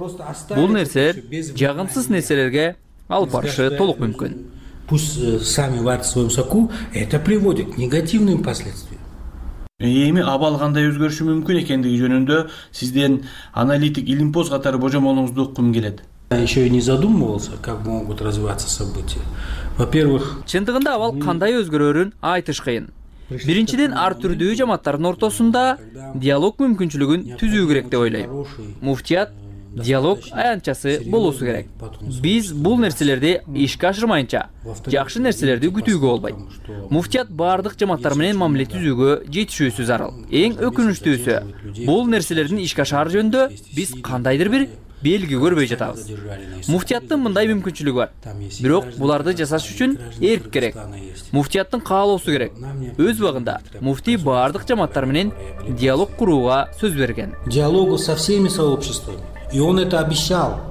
Бул нерселер жагымсыз нерселерге алып барышы толук мүмкүн. Пусть сами варят в своем соку, это приводит к негативным последствиям. Эми абал кандай өзгөрүшү мүмкүн экендиги жөнүндө сизден аналитик Илимпоз катары божомолуңузду уккум келет. Еще и не задумывался, как могут развиваться события. Во-первых, чындыгында абал кандай өзгөрөрүн айтыш кыйын. Биринчиден, ар түрдүү жамааттардын ортосунда диалог мүмкүнчүлүгүн түзүү керек деп ойлойм. Муфтият диалог аянтчасы болуусу керек. Биз бул нерселерди ишке ашырмайынча жакшы нерселерди күтүүгө болбойт. Муфтият бардык жамааттар менен мамиле түзүүгө жетишүүсү зарыл. Эң өкүнүчтүүсү, бул нерселердин ишке ашаар жөнүндө биз кандайдыр бир белги көрбөй жатабыз. Муфтияттын мындай мүмкүнчүлүгү бар. Бирок буларды жасаш үчүн эрк керек. Муфтияттын каалоосу керек. Өз убагында муфтий бардык жамааттар менен диалог курууга сөз берген. Диалогу со всеми сообществами. И он это обещал.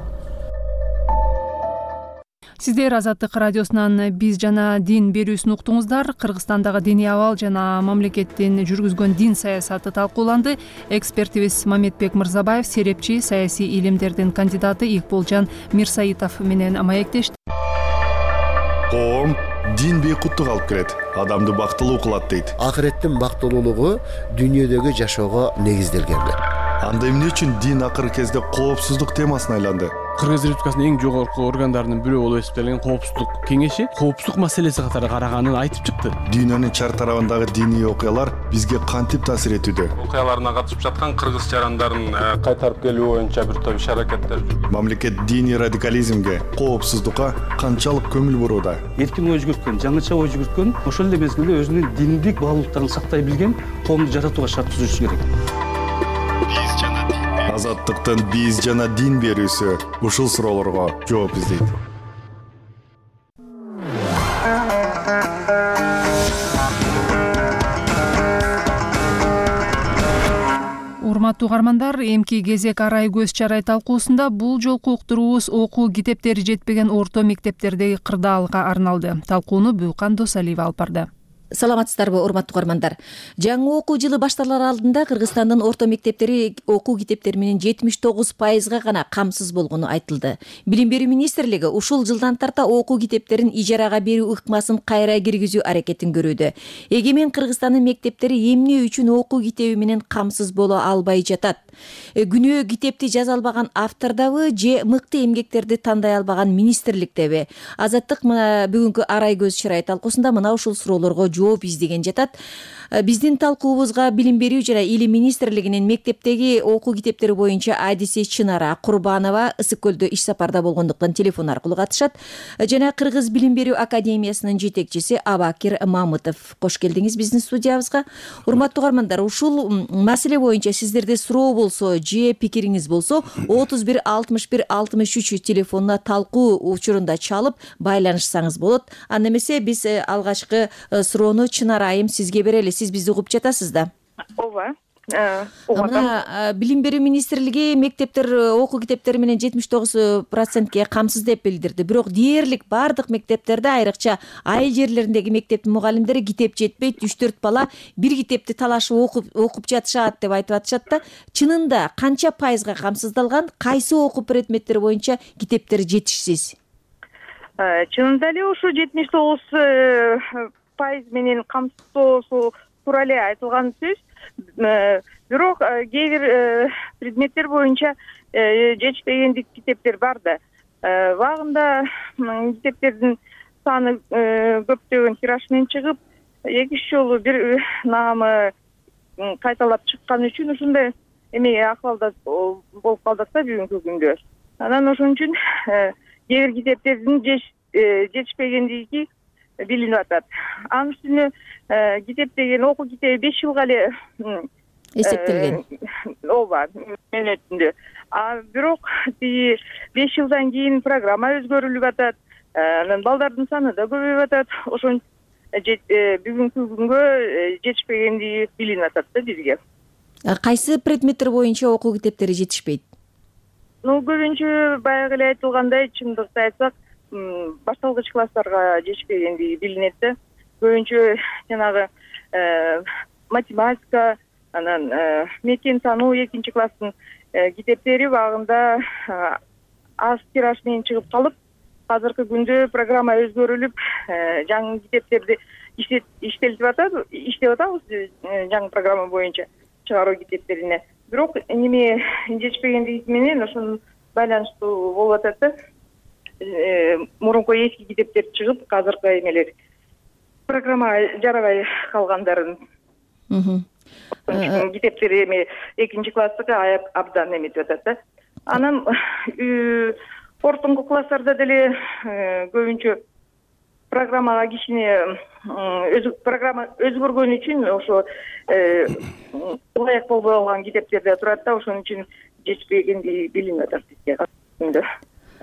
Сиздер Азаттык радиосунан биз жана дин берүүсүн уктуңуздар. Кыргызстандагы диний абал жана мамлекеттин жүргүзгөн дин саясаты талкууланды. Экспертибиз Мамедбек Мырзабаев, серепчи, саясий илимдердин кандидаты Икболжан Мирсаитов менен маектешти. Коом дин бейкуттук алып келет, адамды бактылуу кылат дейт. Акыреттин бактылуулугу дүйнөдөгү жашоого негизделген. Анда эмне үчүн дин акыркы кезде коопсуздук темасына айланды? Кыргыз Республикасынын эң жогорку органдарынын бирөө болуп эсептелген коопсуздук кеңеши коопсуздук маселеси катары караганын айтып чыкты. Дүйнөнүн чар тарабындагы диний окуялар бизге кантип таасир этүүдө? Окуяларына катышып жаткан кыргыз жарандарын кайтарып келүү боюнча бир топ иш-аракеттер. Мамлекет диний радикализмге, коопсуздукка канчалык көңүл бурууда? Эркин ой жүгүрткөн, жаңыча ой жүгүрткөн, ошол эле мезгилде өзүнүн диндик баалуулуктарын сактай билген коомду жаратууга шарт түзүшү керек. Азаттыктын биз жана дин берүүсү ушул суроолорго жооп издейт. Урматтуу угармандар, эмки кезек арай көз чарай талкуусунда бул жолку уктуруубуз окуу китептери жетпеген орто мектептердеги кырдаалга арналды. Талкууну Бүкан Досалиева алып барды. Саламатсыздарбы, урматтуу угармандар. Жаңы окуу жылы башталар алдында Кыргызстандын орто мектептери окуу китептери менен жетимиш тогуз пайызга гана камсыз болгону айтылды. Билим берүү министрлиги ушул жылдан тарта окуу китептерин ижарага берүү ыкмасын кайра киргизүү аракетин көрүүдө. Эгемен Кыргызстандын мектептери эмне үчүн окуу китеби менен камсыз боло албай жатат? Күнөө китепти жаза албаган автордабы же мыкты эмгектерди тандай албаган министрликтеби? Азаттык бүгүнкү арай көз чарай талкуусунда мына ушул суроолорго жооп издеген жатат. Биздин талкуубузга Билим берүү жана Илим министрлигинин мектептеги окуу китептери боюнча адиси Чынара Курбанова ысык көлдө иш сапарда болгондуктан телефон аркылуу катышат. Жана Кыргыз Билим берүү академиясынын жетекчиси Абакир Мамытов. Кош келдиңиз биздин студиябызга. Урматтуу угармандар, ушул маселе боюнча сиздерде суроо болсо же пикириңиз болсо отуз бир алтымыш бир алтымыш үч телефонуна талкуу учурунда чалып байланышсаңыз болот. Анда эмесе биз алгачкы суроону Чынара айым сизге берели. Сиз бизди угуп жатасыз да? Ооба. Мына Билим берүү министрлиги мектептер окуу китептери менен жетимиш тогуз процентке камсыз деп билдирди. Бирок дээрлик бардык мектептерде, айрыкча айыл жерлериндеги мектептин мугалимдери китеп жетпейт, үч төрт бала бир китепти талашып окуп окуп жатышат деп айтып атышат да. Чынында канча пайызга камсыздалган, кайсы окуу предметтери боюнча китептер жетишсиз? Чынында эле ушу жетимиш тогуз пайыз менен камсыздоосу туура эле айтылган сөз. Бирок кээ бир предметтер боюнча жетишпегендик китептер бар да. Убагында китептердин саны көптөгөн тираж менен чыгып, эки үч жолу бир наамы кайталап чыккан үчүн ушундай эмеге акыбалда болуп калдык да бүгүнкү күндө. Анан ошон үчүн кээ бир китептердин жетишпегендиги билинип атат. Анын үстүнө китеп деген окуу китеби беш жылга эле эсептелген. Ооба, мөөнөтүндө. А бирок тиги беш жылдан кийин программа өзгөрүлүп атат. Анан балдардын саны да көбөйүп атат. Ошон бүгүнкү күнгө жетишпегендиги билинип атат да бизге. Кайсы предметтер боюнча окуу китептери жетишпейт? Ну көбүнчө баягы эле айтылгандай, чындыкты айтсак, башталгыч класстарга жетишпегендиги билинет да. Көбүнчө жанагы математика, анан мекен тануу экинчи класстын китептери убагында аз тираж менен чыгып калып, азыркы күндө программа өзгөрүлүп, жаңы китептерди иштелип атат, иштеп атабыз жаңы программа боюнча чыгаруу китептерине. Бирок неме жетишпегендиги менен ошону байланыштуу болуп атат да. Мурунку эски китептер чыгып, азыркы эмелер программа жарабай калгандарын. Китептери эме экинчи класстыкы аяп абдан эметип атат да. Анан ортоңку класстарда деле көбүнчө программага кичине программа өзгөргөн үчүн ошо ылайык болбой калган китептерде турат да, ошон үчүн жетишпегенди билинип атат бизге.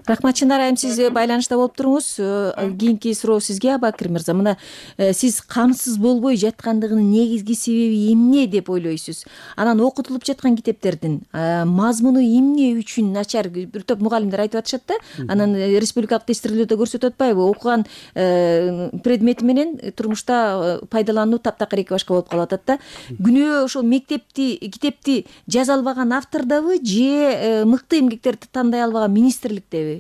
Рахмат, Чынар айым, сиз байланышта болуп туруңуз. Кийинки суроо сизге, Абакир мырза. Мына сиз камсыз болбой жаткандыгынын негизги себеби эмне деп ойлойсуз? Анан окутулуп жаткан китептердин мазмуну эмне үчүн начар? Бир топ мугалимдер айтып атышат да. Анан республикалык тестирлөөдө көрсөтүп атпайбы? Окуган предмети менен турмушта пайдалануу таптакыр эки башка болуп калып атат да. Күнөө ошол мектепти, китепти жаза албаган автордобу же мыкты эмгектерди тандай албаган министрликтеби?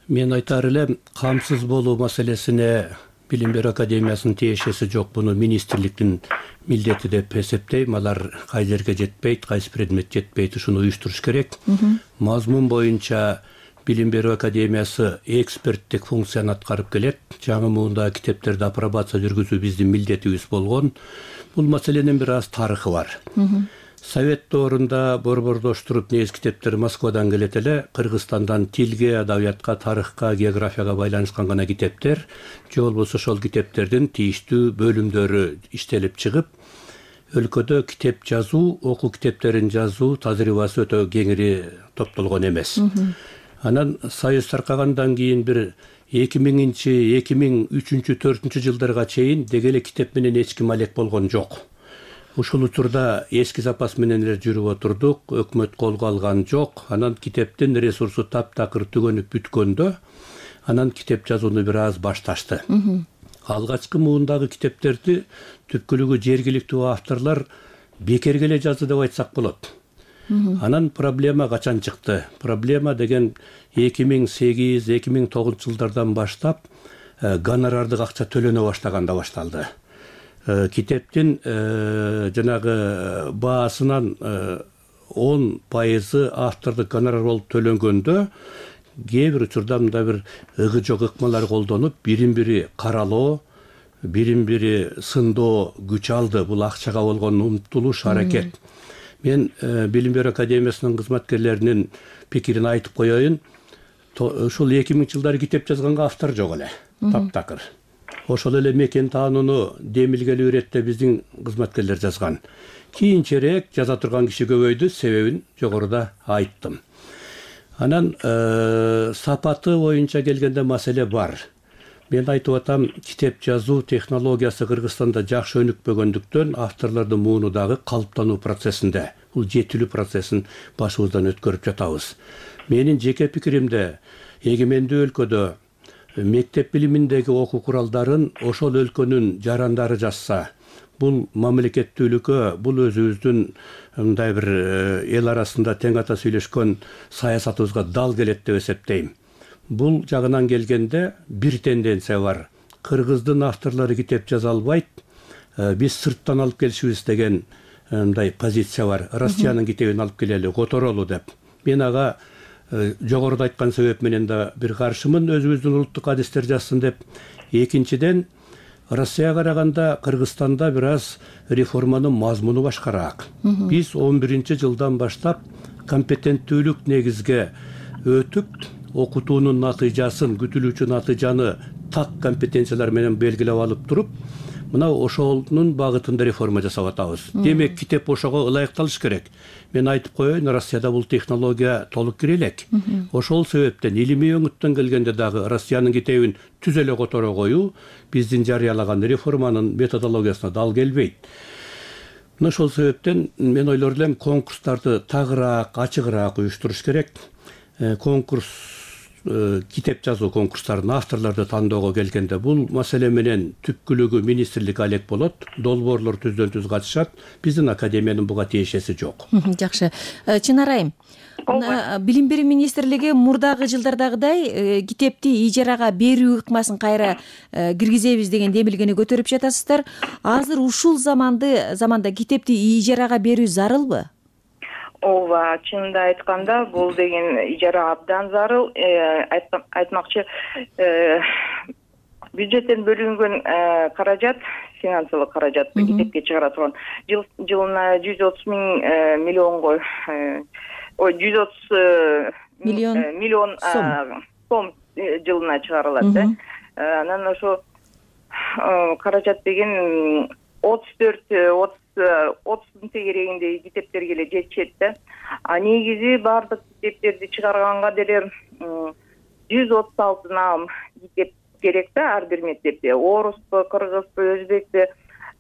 Мен айтар элем, камсыз болуу маселесине Билим берүү академиясынын тиешеси жок, буну министрликтин милдети деп эсептейм. Алар кай жерге жетпейт, кайсы предмет жетпейт, ушуну уюштуруш керек. Мазмун боюнча Билим берүү академиясы эксперттик функцияны аткарып келет. Жаңы муундагы китептерди апробация жүргүзүү биздин милдетибиз болгон. Бул маселенин бир аз тарыхы бар. Совет доорунда борбордоштуруп негиз китептер Москвадан келет эле. Кыргызстандан тилге, адабиятка, тарыхка, географияга байланышкан гана китептер. Же болбосо ошол китептердин тийиштүү бөлүмдөрү иштелип чыгып, өлкөдө китеп жазуу, окуу китептерин жазуу тажрыйбасы өтө кеңири топтолгон эмес. Анан Союз таркагандан кийин бир эки миңинчи, эки миң үчүнчү, төртүнчү жылдарга чейин деги эле китеп менен эч ким алек болгон жок. Ушул учурда эски запас менен эле жүрүп отурдук, өкмөт колго алган жок. Анан китептин ресурсу таптакыр түгөнүп бүткөндө, анан китеп жазууну бир аз башташты. Алгачкы муундагы китептерди түпкүлүгү жергиликтүү авторлор бекерге эле жазды деп айтсак болот. Анан проблема качан чыкты? Проблема деген эки миң сегиз, эки миң тогузунчу жылдардан баштап гонорардык акча төлөнө баштаганда башталды. Китептин жанагы баасынан он пайызы автордук гонорар болуп төлөнгөндө, кээ бир учурда мындай бир ыгы жок ыкмалар колдонуп, бирин бири каралоо, бирин бири сындоо күч алды. Бул акчага болгон умтулуш, аракет. Мен Билим берүү академиясынын кызматкерлеринин пикирин айтып коеюн. Ушул эки миңинчи жылдары китеп жазганга автор жок эле, таптакыр. Ошол эле мекен таанууну демилгелүү иретте биздин кызматкерлер жазган. Кийинчерээк жаза турган киши көбөйдү, себебин жогоруда айттым. Анан сапаты боюнча келгенде маселе бар. Мен айтып атам, китеп жазуу технологиясы Кыргызстанда жакшы өнүкпөгөндүктөн авторлордун мууну дагы калыптануу процессинде, бул жетилүү процессин башыбыздан өткөрүп жатабыз. Менин жеке пикиримде, эгемендүү өлкөдө мектеп билиминдеги окуу куралдарын ошол өлкөнүн жарандары жазса, бул мамлекеттүүлүккө, бул өзүбүздүн мындай бир эл арасында тең ата сүйлөшкөн саясатыбызга дал келет деп эсептейм. Бул жагынан келгенде бир тенденция бар. Кыргыздын авторлору китеп жаза албайт, биз сырттан алып келишибиз деген мындай позиция бар. Россиянын китебин алып келели, которолу деп. Мен ага жогоруда айткан себеп менен да бир каршымын, өзүбүздүн улуттук адистер жазсын деп. Экинчиден, Россияга караганда Кыргызстанда бир аз реформанын мазмуну башкараак. Биз он биринчи жылдан баштап компетенттүүлүк негизге өтүп, окутуунун натыйжасын, күтүлүүчү натыйжаны так компетенциялар менен белгилеп алып туруп, мына ошонун багытында реформа жасап атабыз. Демек, китеп ошого ылайыкталыш керек. Мен айтып коеюн, Россияда бул технология толук кире элек. Ошол себептен илимий өңүттөн келгенде дагы Россиянын китебин түз эле которо коюу биздин жарыялаган реформанын методологиясына дал келбейт. мына ошол себептен мен ойлор элем конкурстарды тагыраак ачыгыраак уюштуруш керек. Конкурс китеп жазуу конкурстарын авторлорду тандоого келгенде бул маселе менен түпкүлүгү министрлик алек болот, долбоорлор түздөн түз катышат. Биздин академиянын буга тиешеси жок. Жакшы. Чынар айым, билим берүү министрлиги мурдагы жылдардагыдай китепти ижарага берүү ыкмасын кайра киргизебиз деген демилгени көтөрүп жатасыздар. Азыр ушул заманды заманда китепти ижарага берүү зарылбы? ооба, чынында айтканда бул деген ижара абдан зарыл. Айтмакчы, бюджеттен бөлүнгөн каражат, финансылык каражат китепке чыгара турган жылына жүз отуз миң миллионго ой жүз отуз миллион миллион сом жылына чыгарылат да. Анан ошо каражат деген отуз төрт отуз отуздун тегерегинде китептерге эле жетишет да. А негизи баардык китептерди чыгарганга деле жүз отуз алты наам китеп керек да ар бир мектепте. Орусту, кыргызды, өзбекти,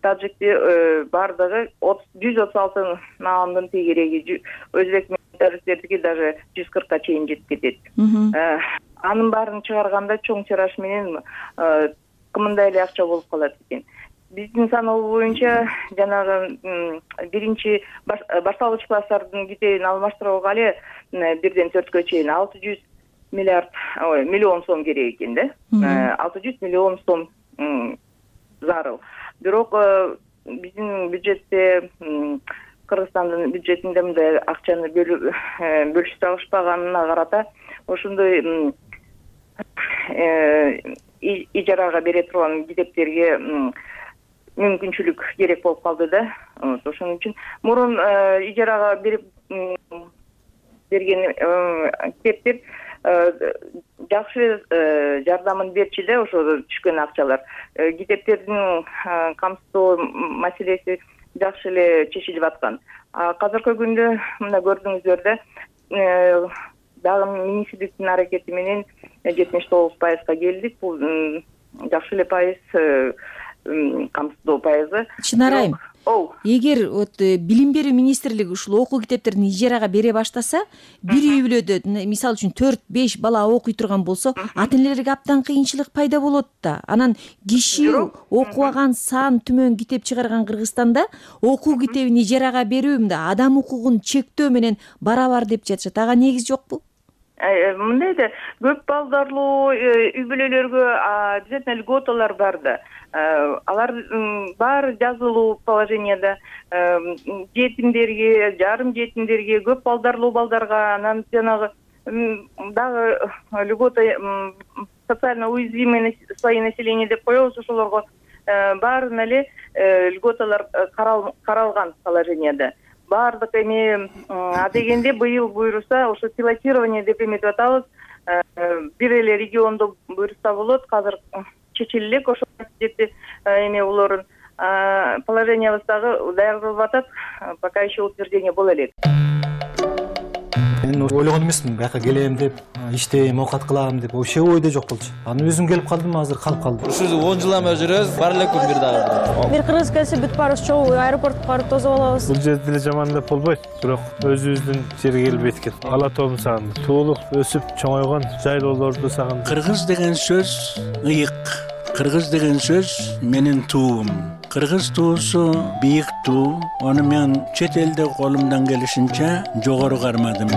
таджикти баардыгы жүз отуз алты наамдын тегереги. Өзбек мектептердики даже жүз кыркка чейин жетип кетет. Анын баарын чыгарганда чоң тираж менен кымындай эле акча болуп калат экен. Биздин саноо боюнча жанагы биринчи башталгыч класстардын китебин алмаштырууга эле бирден төрткө чейин алты жүз миллиард ой миллион сом керек экен да. алты жүз миллион сом зарыл. Бирок биздин бюджетте, Кыргызстандын бюджетинде мындай акчаны бөлүшүп алышпаганына карата ошондой ижарага бере турган китептерге мүмкүнчүлүк керек болуп калды да. Ошон үчүн мурун ижарага берип берген китептер жакшы жардамын берчү да, ошо түшкөн акчалар. Китептердин камсыздоо маселеси жакшы эле чечилип аткан. Азыркы күндө мына көрдүңүздөр да, дагы министрликтин аракети менен жетимиш тогуз пайызга келдик. Бул жакшы эле пайыз камсыздоо пайызы. Чынар айым, эгер билим берүү министрлиги ушул окуу китептерин ижарага бере баштаса, бир үй бүлөдө мисалы үчүн төрт беш бала окуй турган болсо, ата энелерге абдан кыйынчылык пайда болот да. Анан киши окубаган сан түмөн китеп чыгарган Кыргызстанда окуу китебин ижарага берүү мында адам укугун чектөө менен барабар деп жатышат. Ага негиз жокпу? Мындай да, көп балдарлуу үй бүлөлөргө обязательно льготалар бар да. Алар баары жазылуу положенияда, жетимдерге, жарым жетимдерге, көп балдарлуу балдарга, анан жанагы дагы льгота социально уязвимый слои населения деп коебуз, ошолорго баарына эле льготалар каралган положенияда. Баардык эми адегенде быйыл буйруса, ошо пилотирование деп эметип атабыз. Бир эле региондо буйруса болот, азыр чечиле элек ошо жети эме улорун положениябыз дагы даярдалып атат, пока еще утверждение боло элек. Мен ойлогон эмесмин, бияка келем деп, иштейм, оокат кылам деп, вообще ойдо жок болчу. Аны өзүм келип калдым, азыр калып калдым. Ушул он жылдан бери жүрөбүз, бар эле күн бир дагы. Бир кыргыз келсе бүт баарыбыз чогуу аэропортко барып тосуп алабыз. Бул жерде деле жаман деп болбойт, бирок өзүбүздүн жерге келип эткен. Ала тоомду сагындым. Туулуп, өсүп, чоңойгон жайлоолорду сагындым. Кыргыз деген сөз ыйык. Кыргыз деген сөз менин туум. Кыргыз туусу бийик туу. Аны мен чет элде колумдан келишинче жогору кармадым.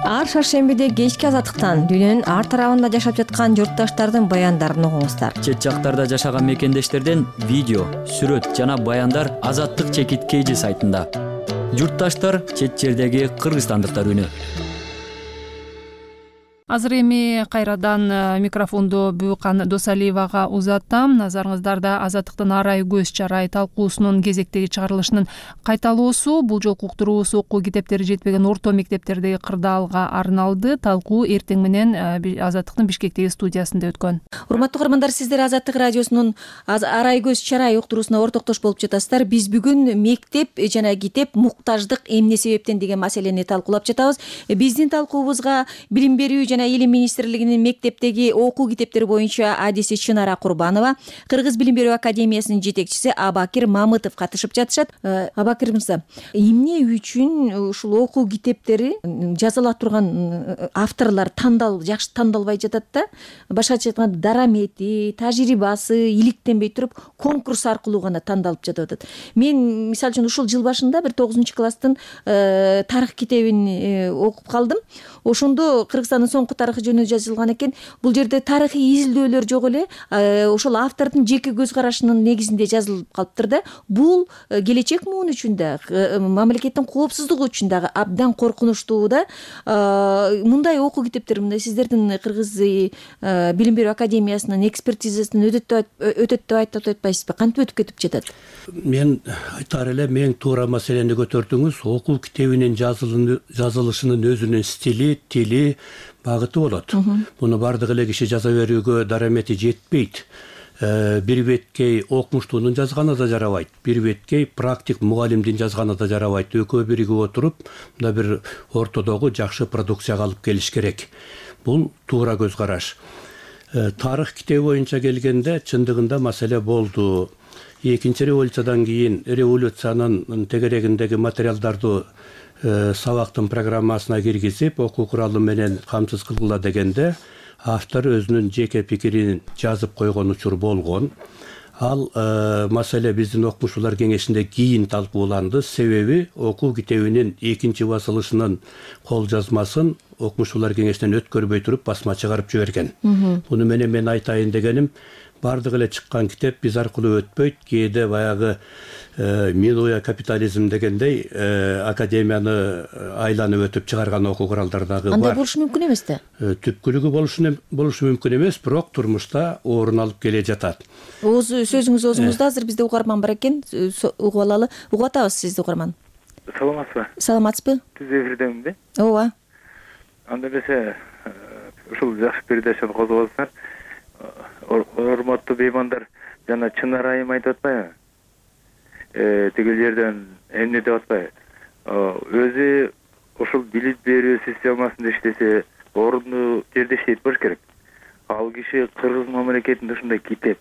Ар шаршембиде кечки азаттыктан дүйнөнүн ар тарабында жашап жаткан журтташтардын баяндарын угуңуздар. Чет жактарда жашаган мекендештерден видео, сүрөт жана баяндар Азаттык чекит кейжи сайтында. Журтташтар чет жердеги кыргызстандыктар үнү. Азыр эми кайрадан микрофонду Бүүкан Досалиевага узаттым. Назарыңыздарда Азаттыктын арай көз чарай талкуусунун кезектеги чыгарылышынын кайталоосу, бул жолку уктуруусу окуу китептери жетпеген орто мектептердеги кырдаалга арналды. Талкуу эртең менен Азаттыктын Бишкектеги студиясында өткөн. Урматтуу көрөрмандар, сиздер Азаттык радиосунун арай көз чарай уктуруусуна ортоктош болуп жатасыздар. Биз бүгүн мектеп жана китеп муктаждык эмне себептен деген маселени талкуулап жатабыз. Биздин талкуубузга билим берүү жана илим министрлигинин мектептеги окуу китептери боюнча адиси Чынара Курбанова, Кыргыз билим берүү академиясынын жетекчиси Абакир Мамытов катышып жатышат. Абакир мырза, эмне үчүн ушул окуу китептери жазыла турган авторлор тандал жакшы тандалбай жатат да? Башкача айтканда дарамети, тажрыйбасы иликтенбей туруп конкурс аркылуу гана тандалып жатып атат. Мен мисалы үчүн ушул жыл башында бир тогузунчу класстын тарых китебин окуп калдым. Ошондо Кыргызстандын соңку тарыхы жөнүндө жазылган экен. Бул жерде тарыхый изилдөөлөр жок эле, ошол автордун жеке көз карашынын негизинде жазылып калыптыр да. Бул келечек муун үчүн да, мамлекеттин коопсуздугу үчүн дагы абдан коркунучтуу да. Мындай окуу китептер, мындай сиздердин Кыргыз билим берүү академиясынын экспертизасынан өтөт деп айтып атпайсызбы? Кантип өтүп кетип жатат? Мен айтар элем, эң туура маселени көтөрдүңүз. Окуу китебинин жазылышынын өзүнүн стили, тили, багыты болот. Муну бардык эле киши жаза берүүгө дарамети жетпейт. Бир беткей окумуштуунун жазганы да жарабайт, бир беткей практик мугалимдин жазганы да жарабайт. Экөө биригип отуруп, мында бир ортодогу жакшы продукцияга алып келиш керек. Бул туура көз караш. Тарых китеби боюнча келгенде чындыгында маселе болду. Экинчи революциядан кийин революциянын тегерегиндеги материалдарды сабактын программасына киргизип, окуу куралы менен камсыз кылгыла дегенде автор өзүнүн жеке пикирин жазып койгон учур болгон. Ал маселе биздин окумуштуулар кеңешинде кийин талкууланды. Себеби окуу китебинин экинчи басылышынын кол жазмасын окумуштуулар кеңешинен өткөрбөй туруп басма чыгарып жиберген. Буну менен мен айтайын дегеним, бардык эле чыккан китеп биз аркылуу өтпөйт. Кээде баягы минуя капитализм дегендей академияны айланып өтүп чыгарган окуу куралдар дагы бар. Андай болушу мүмкүн эмес да? Түпкүлүгү болушу мүмкүн эмес, бирок турмушта орун алып келе жатат. Ооз сөзүңүз оозуңузда, азыр бизде угарман бар экен, угуп алалы. Угуп атабыз сизди, угарман. Саламатсызбы? Саламатсызбы? Түз эфирдеминби? Ооба. Анда эмесе ушул жакшы передачаны козгоосуздар. Урматтуу беймандар, жана Чынара айым айтып атпайбы? Э, тигил жерден эмне деп атпайбы? Өзү ушул билим берүү системасында иштесе, орунду жерде иштейт болуш керек. Ал киши Кыргыз мамлекетинде ушундай китеп,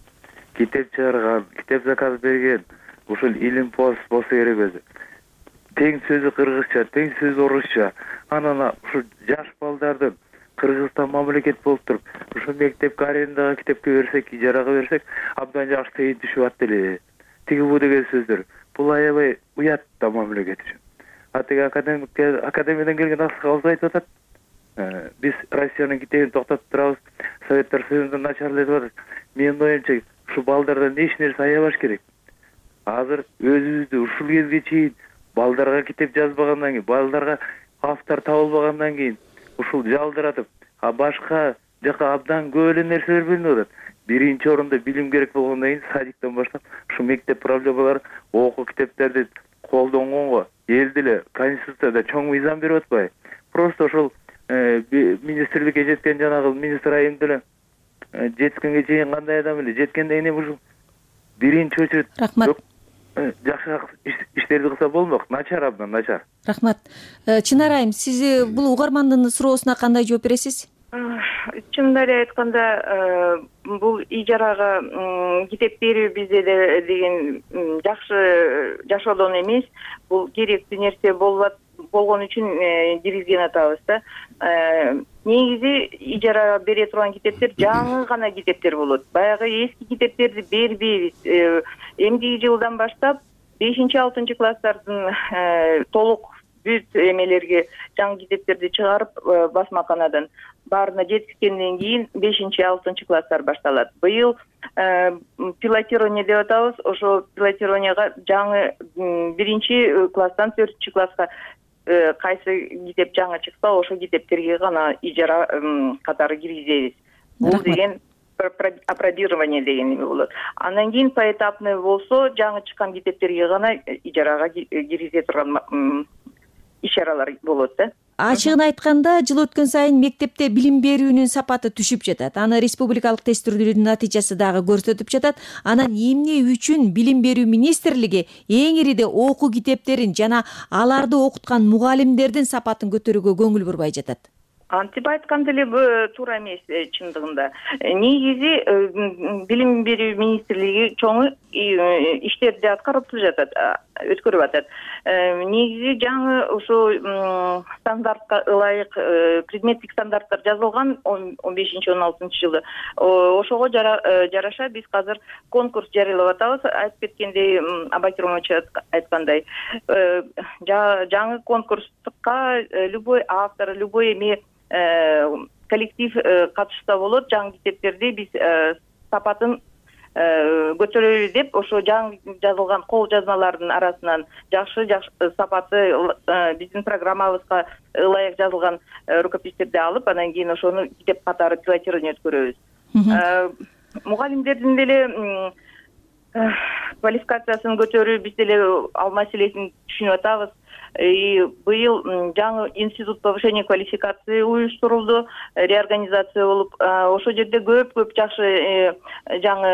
китеп чыгарган, китеп заказ берген, ушул илим пост болсо керек өзү. Тең сөзү кыргызча, тең сөзү орусча. Анан ушул жаш балдардын Кыргызстан мамлекет болуп туруп, ушул мектепке арендага китепке берсек, ижарага берсек, абдан жакшы тыйын түшүп атты эле. Тиги бу деген сөздөр. Бул аябай уят да мамлекет үчүн. А тиги академик академиядан келген аксакалыбыз айтып атат. Биз Россиянын китебин токтотуп турабыз, Советтер Союзунда начарлап атат. Менин оюмча, ушу балдардан эч нерсе аябаш керек. Азыр өзүбүздү ушул кезге чейин балдарга китеп жазбагандан кийин, балдарга автор табылбагандан кийин ушул жалдыратып, а башка жака абдан көп эле нерселер бөлүнүп атат. Биринчи орунда билим керек болгондон кийин садиктен баштап ушу мектеп проблемалары, окуу китептерди колдонгонго эл деле конституцияда чоң мыйзам берип атпайбы? Просто ошол министрликке жеткен жанагы министр айым деле жеткенге чейин кандай адам эле жеткенден кийин ушул биринчи очередь рахмат. Жакшы иштерди кылса болмок, начар абдан начар. Рахмат. Чынара айым, сиз бул угармандын суроосуна кандай жооп бересиз? Чынында эле айтканда, бул ижарага китеп берүү бизде деген жакшы жашоодон эмес, бул керектүү нерсе болуп болгон үчүн киргизген атабыз да. Негизи ижарага бере турган китептер жаңы гана китептер болот. Баягы эски китептерди бербейбиз. Эмдиги жылдан баштап бешинчи алтынчы класстардын толук бүт эмелерге жаңы китептерди чыгарып басмаканадан баарына жеткизгенден кийин бешинчи алтынчы класстар башталат. Быйыл пилотирование деп атабыз. Ошо пилотированияга жаңы биринчи класстан төртүнчү класска кайсы китеп жаңы чыкса, ошо китептерге гана ижара катары киргизебиз. Бул деген апробирование деген эме болот. Андан кийин поэтапный болсо, жаңы чыккан китептерге гана ижарага киргизе турган ишаралар болот да. Ачыгын айтканда, жыл өткөн сайын мектепте билим берүүнүн сапаты түшүп жатат. Аны республикалык тестирүүнүн натыйжасы дагы көрсөтүп жатат. Анан эмне үчүн билим берүү министрлиги эң ириде окуу китептерин жана аларды окуткан мугалимдердин сапатын көтөрүүгө көңүл бурбай жатат? антип айткан деле туура эмес чындыгында. Негизи билим берүү министрлиги чоң иштерди аткарып жатат, өткөрүп атат. Негизи жаңы ошо стандартка ылайык предметтик стандарттар жазылган он бешинчи он алтынчы жылы. Ошого жараша биз азыр конкурс жарыялап атабыз. Айтып кеткендей, Абай Керимович айткандай, жаңы конкурска любой автор, любой эме коллектив катышса болот. Жаңы китептерди биз сапатын көтөрөлү деп, ошо жаңы жазылган кол жазмалардын арасынан жакшы сапаты биздин программабызга ылайык жазылган рукопистерди алып, анан кийин ошону китеп катары пилотирование өткөрөбүз. Мугалимдердин деле квалификациясын көтөрүү, биз деле ал маселесин түшүнүп атабыз. Быйыл жаңы институт повышения квалификации уюштурулду, реорганизация болуп, ошол жерде көп-көп жакшы жаңы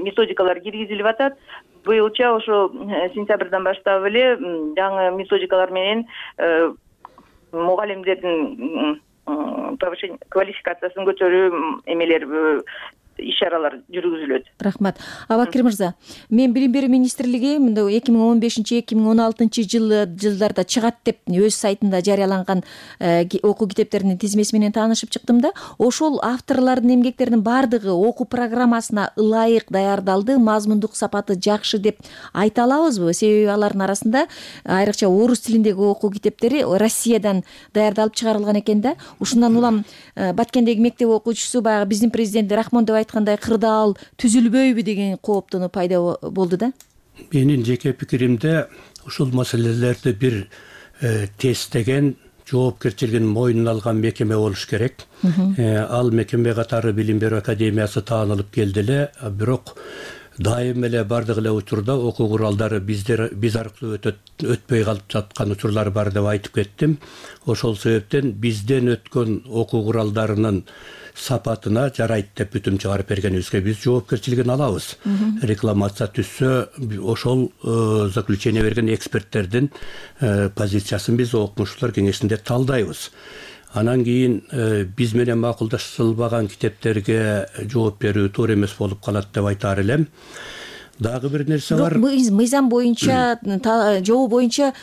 методикалар киргизилип атат. Быйылча ошо сентябрдан баштап эле жаңы методикалар менен мугалимдердин повышение квалификациясын көтөрүү эмелер иш-чаралар жүргүзүлөт. Рахмат. Абакир мырза, мен билим берүү министрлиги мындай эки миң он бешинчи эки миң он алтынчы жылдарда чыгат деп өз сайтында жарыяланган окуу китептеринин тизмеси менен таанышып чыктым да, ошол авторлордун эмгектеринин баардыгы окуу программасына ылайык даярдалды, мазмундук сапаты жакшы деп айта алабызбы? Себеби алардын арасында айрыкча орус тилиндеги окуу китептери Россиядан даярдалып чыгарылган экен да. Ушундан улам Баткендеги мектеп окуучусу баягы биздин президент Рахмон айткандай кырдаал түзүлбөйбү деген кооптонуу пайда болду да. Менин жеке пикиримде ушул маселелерди бир тестеген, жоопкерчилигин мойнуна алган мекеме болуш керек. Ал мекеме катары Билим берүү академиясы таанылып келди эле, бирок дайым эле бардык эле учурда окуу куралдары биздер биз аркылуу өтпөй калып жаткан учурлар бар деп айтып кеттим. Ошол себептен бизден өткөн окуу куралдарынын сапатына жарайт деп бүтүм чыгарып бергенибизге биз жоопкерчилигин алабыз. Рекламация түшсө, ошол заключение берген эксперттердин позициясын биз окумуштуулар кеңешинде талдайбыз. Анан кийин биз менен макулдашылбаган китептерге жооп берүү туура эмес болуп калат деп айтаар элем. Дагы бир нерсе бар. Мыйзам боюнча, жобо боюнча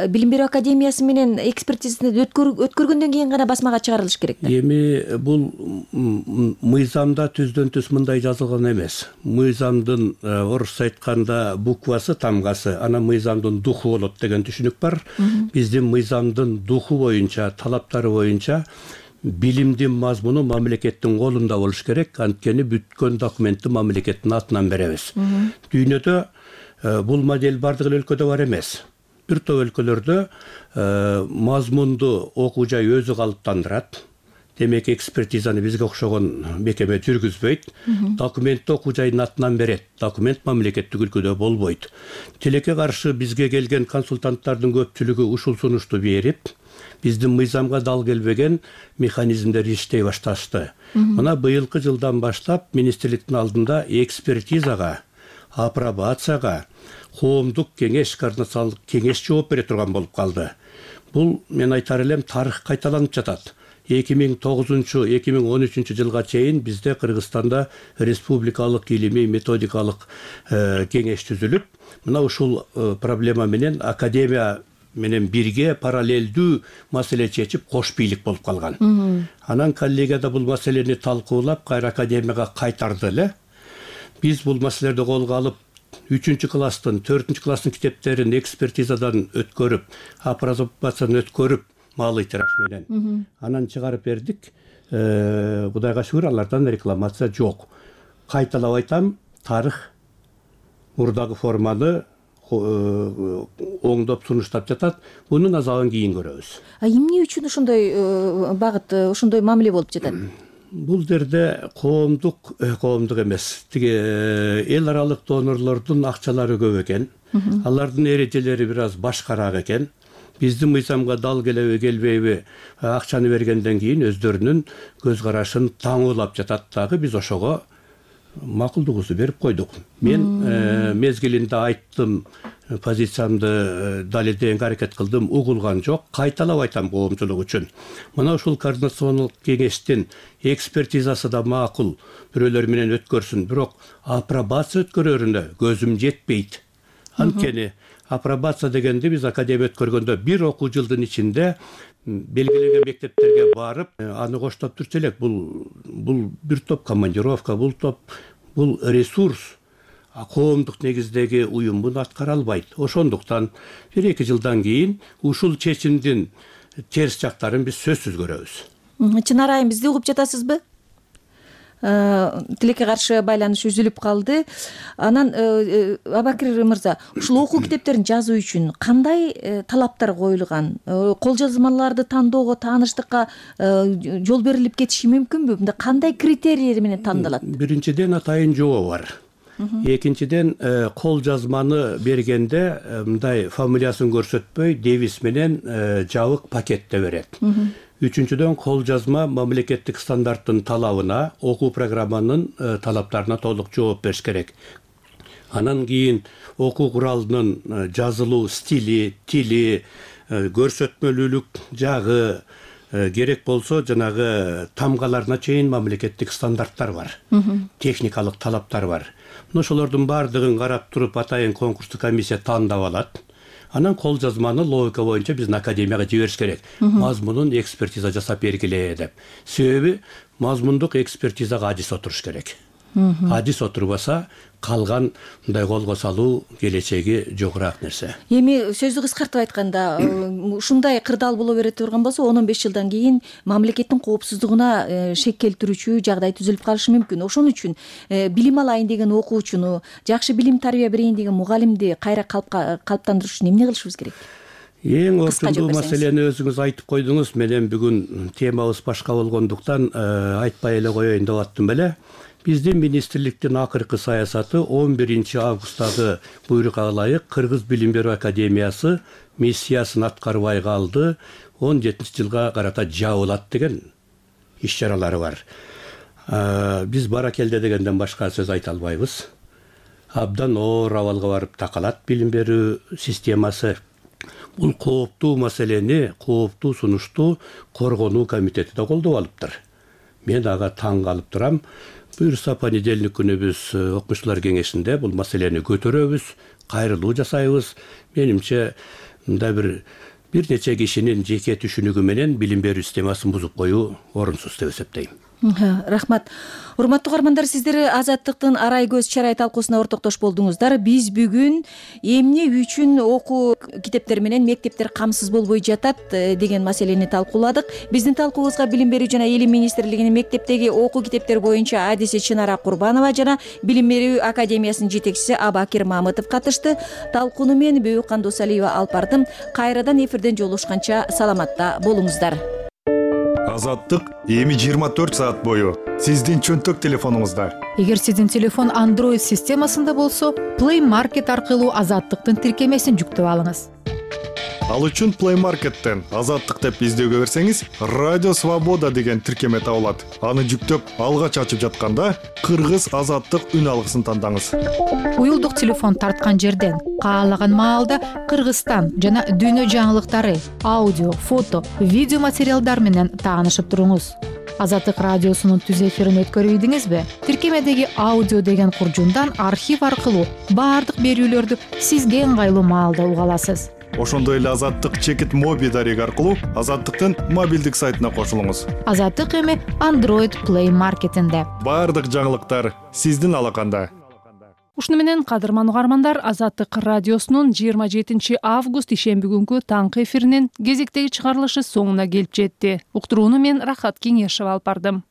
Билим берүү академиясы менен экспертизаны өткөргөндөн кийин гана басмага чыгарылыш керек да. Эми бул мыйзамда түздөн түз мындай жазылган эмес. Мыйзамдын орусча айтканда буквасы, тамгасы, анан мыйзамдын духу болот деген түшүнүк бар. Биздин мыйзамдын духу боюнча, талаптары боюнча билимдин мазмуну мамлекеттин колунда болуш керек, анткени бүткөн документти мамлекеттин атынан беребиз. Дүйнөдө бул модель бардык эле өлкөдө бар эмес. Бир топ өлкөлөрдө мазмунду окуу жай өзү калыптандырат. Демек экспертизаны бизге окшогон мекеме жүргүзбөйт. Документти окуу жайдын атынан берет. Документ мамлекеттик өлкөдө болбойт. Тилекке каршы бизге келген консультанттардын көпчүлүгү ушул сунушту берип, биздин мыйзамга дал келбеген механизмдер иштей башташты. Мына быйылкы жылдан баштап министрликтин алдында экспертизага, апробацияга коомдук кеңеш, координациялык кеңеш жооп бере турган болуп калды. Бул мен айтар элем тарых кайталанып жатат. эки миң тогузунчу эки миң он үчүнчү жылга чейин бизде Кыргызстанда республикалык илимий методикалык кеңеш түзүлүп, мына ушул проблема менен академия менен бирге параллелдүү маселе чечип кош бийлик болуп калган. Анан коллегияда бул маселени талкуулап, кайра академияга кайтарды эле. Биз бул маселелерди колго алып, үчүнчү класстын, төртүнчү класстын китептерин экспертизадан өткөрүп, апробациядан өткөрүп, малый тираж менен анан чыгарып бердик. Кудайга шүгүр, алардан рекламация жок. Кайталап айтам, тарых мурдагы форманы оңдоп сунуштап жатат. Мунун азабын кийин көрөбүз. А эмне үчүн ошондой багыт, ошондой мамиле болуп жатат? Бул жерде коомдук, коомдук эмес, тиги эл аралык донорлордун акчалары көп экен. Алардын эрежелери бир аз башкараак экен. Биздин мыйзамга дал келеби, келбейби, акчаны бергенден кийин өздөрүнүн көз карашын таңуулап жатат дагы. Биз ошого макулдугубузду берип койдук. Мен мезгилинде айттым, позициямды далилдегенге аракет кылдым, угулган жок. Кайталап айтам коомчулук үчүн. Мына ушул координациондук кеңештин экспертизасы да макул, бирөөлөр менен өткөрсүн, бирок апробация өткөрөрүнө көзүм жетпейт. Анткени апробация дегенди биз академия өткөргөндө бир окуу жылдын ичинде белгиленген мектептерге барып, аны коштоп турчу элек. Бул бул бир топ командировка, бул топ бул ресурс коомдук негиздеги уюм муну аткара албайт. Ошондуктан бир эки жылдан кийин ушул чечимдин терс жактарын биз сөзсүз көрөбүз. Чынар айым, бизди угуп жатасызбы? Тилекке каршы байланыш үзүлүп калды. Анан Абакир мырза, ушул окуу китептерин жазуу үчүн кандай талаптар коюлган? Кол жазмаларды тандоого, тааныштыкка жол берилип кетиши мүмкүнбү? Мында кандай критерийлер менен тандалат? Биринчиден атайын жобо бар. Экинчиден кол жазманы бергенде мындай фамилиясын көрсөтпөй девиз менен жабык пакетте берет. Үчүнчүдөн кол жазма мамлекеттик стандарттын талабына, окуу программанын талаптарына толук жооп бериш керек. Анан кийин окуу куралынын жазылуу стили, тили, көрсөтмөлүүлүк жагы, керек болсо жанагы тамгаларына чейин мамлекеттик стандарттар бар. Техникалык талаптар бар. Ошолордун баардыгын карап туруп атайын конкурстук комиссия тандап алат. Анан кол жазманы логика боюнча биздин академияга жибериш керек. Мазмунун экспертиза жасап бергиле деп. Себеби мазмундук экспертизага адис отуруш керек. Адис отурбаса калган мындай колго салуу келечеги жогураак нерсе. Эми сөздү кыскартып айтканда, ушундай кырдаал боло бере турган болсо он он беш жылдан кийин мамлекеттин коопсуздугуна шек келтирүүчү жагдай түзүлүп калышы мүмкүн. Ошон үчүн билим алайын деген окуучуну, жакшы билим тарбия берейин деген мугалимди кайра калыптандырыш үчүн эмне кылышыбыз керек? Эң орчундуу маселени өзүңүз айтып койдуңуз. Менен бүгүн темабыз башка болгондуктан айтпай эле коеюн деп аттым беле. Биздин министрликтин акыркы саясаты он биринчи августтагы буйрукка ылайык Кыргыз билим берүү академиясы миссиясын аткарбай калды, он жетинчи жылга карата жабылат деген иш чаралары бар. Биз баракелде дегенден башка сөз айта албайбыз. Абдан оор абалга барып такалат билим берүү системасы. Бул кооптуу маселени, кооптуу сунушту коргонуу комитети да колдоп алыптыр. Мен ага таң калып турам. Буюрса понедельник күнү биз окумуштуулар кеңешинде бул маселени көтөрөбүз, кайрылуу жасайбыз. Менимче мындай бир бир нече кишинин жеке түшүнүгү менен билим берүү системасын бузуп коюу орунсуз деп эсептейм. Рахмат. Урматтуу угармандар, сиздер Азаттыктын арай көз чарай талкуусуна ортоктош болдуңуздар. Биз бүгүн эмне үчүн окуу китептери менен мектептер камсыз болбой жатат деген маселени талкууладык. Биздин талкуубузга билим берүү жана илим министрлигинин мектептеги окуу китептер боюнча адиси Чынара Курбанова жана билим берүү академиясынын жетекчиси Абакир Мамытов катышты. Талкууну мен Бөйүккан Досалиева алып бардым. Кайрадан эфирден жолугушканча саламатта болуңуздар. Азаттык эми жыйырма төрт саат бою сиздин чөнтөк телефонуңузда. Эгер сиздин телефон Android системасында болсо, Play Market аркылуу Азаттыктын тиркемесин жүктөп алыңыз. Ал үчүн Play Market'тен Азаттык деп издөөгө берсеңиз, Радио Свобода деген тиркеме табылат. Аны жүктөп алгач ачып жатканда Кыргыз Азаттык үн алгысын тандаңыз. Уюлдук телефон тарткан жерден каалаган маалда Кыргызстан жана дүйнө жаңылыктары, аудио, фото, видео материалдар менен таанышып туруңуз. Азаттык радиосунун түз эфирин өткөрүп ийдиңизби? Тиркемедеги аудио деген куржундан архив аркылуу баардык берүүлөрдү сизге ыңгайлуу маалда уга аласыз. Ошондой эле Азаттык чекит моби дареги аркылуу Азаттыктын мобилдик сайтына кошулуңуз. Азаттык эми Android Play Market'инде. Баардык жаңылыктар сиздин алаканда. Ушуну менен кадырман угармандар, Азаттык радиосунун жыйырма жетинчи август ишемби күнгү таңкы эфиринин кезектеги чыгарылышы соңуна келип жетти. Уктурууну мен Рахат Кеңешева алып бардым.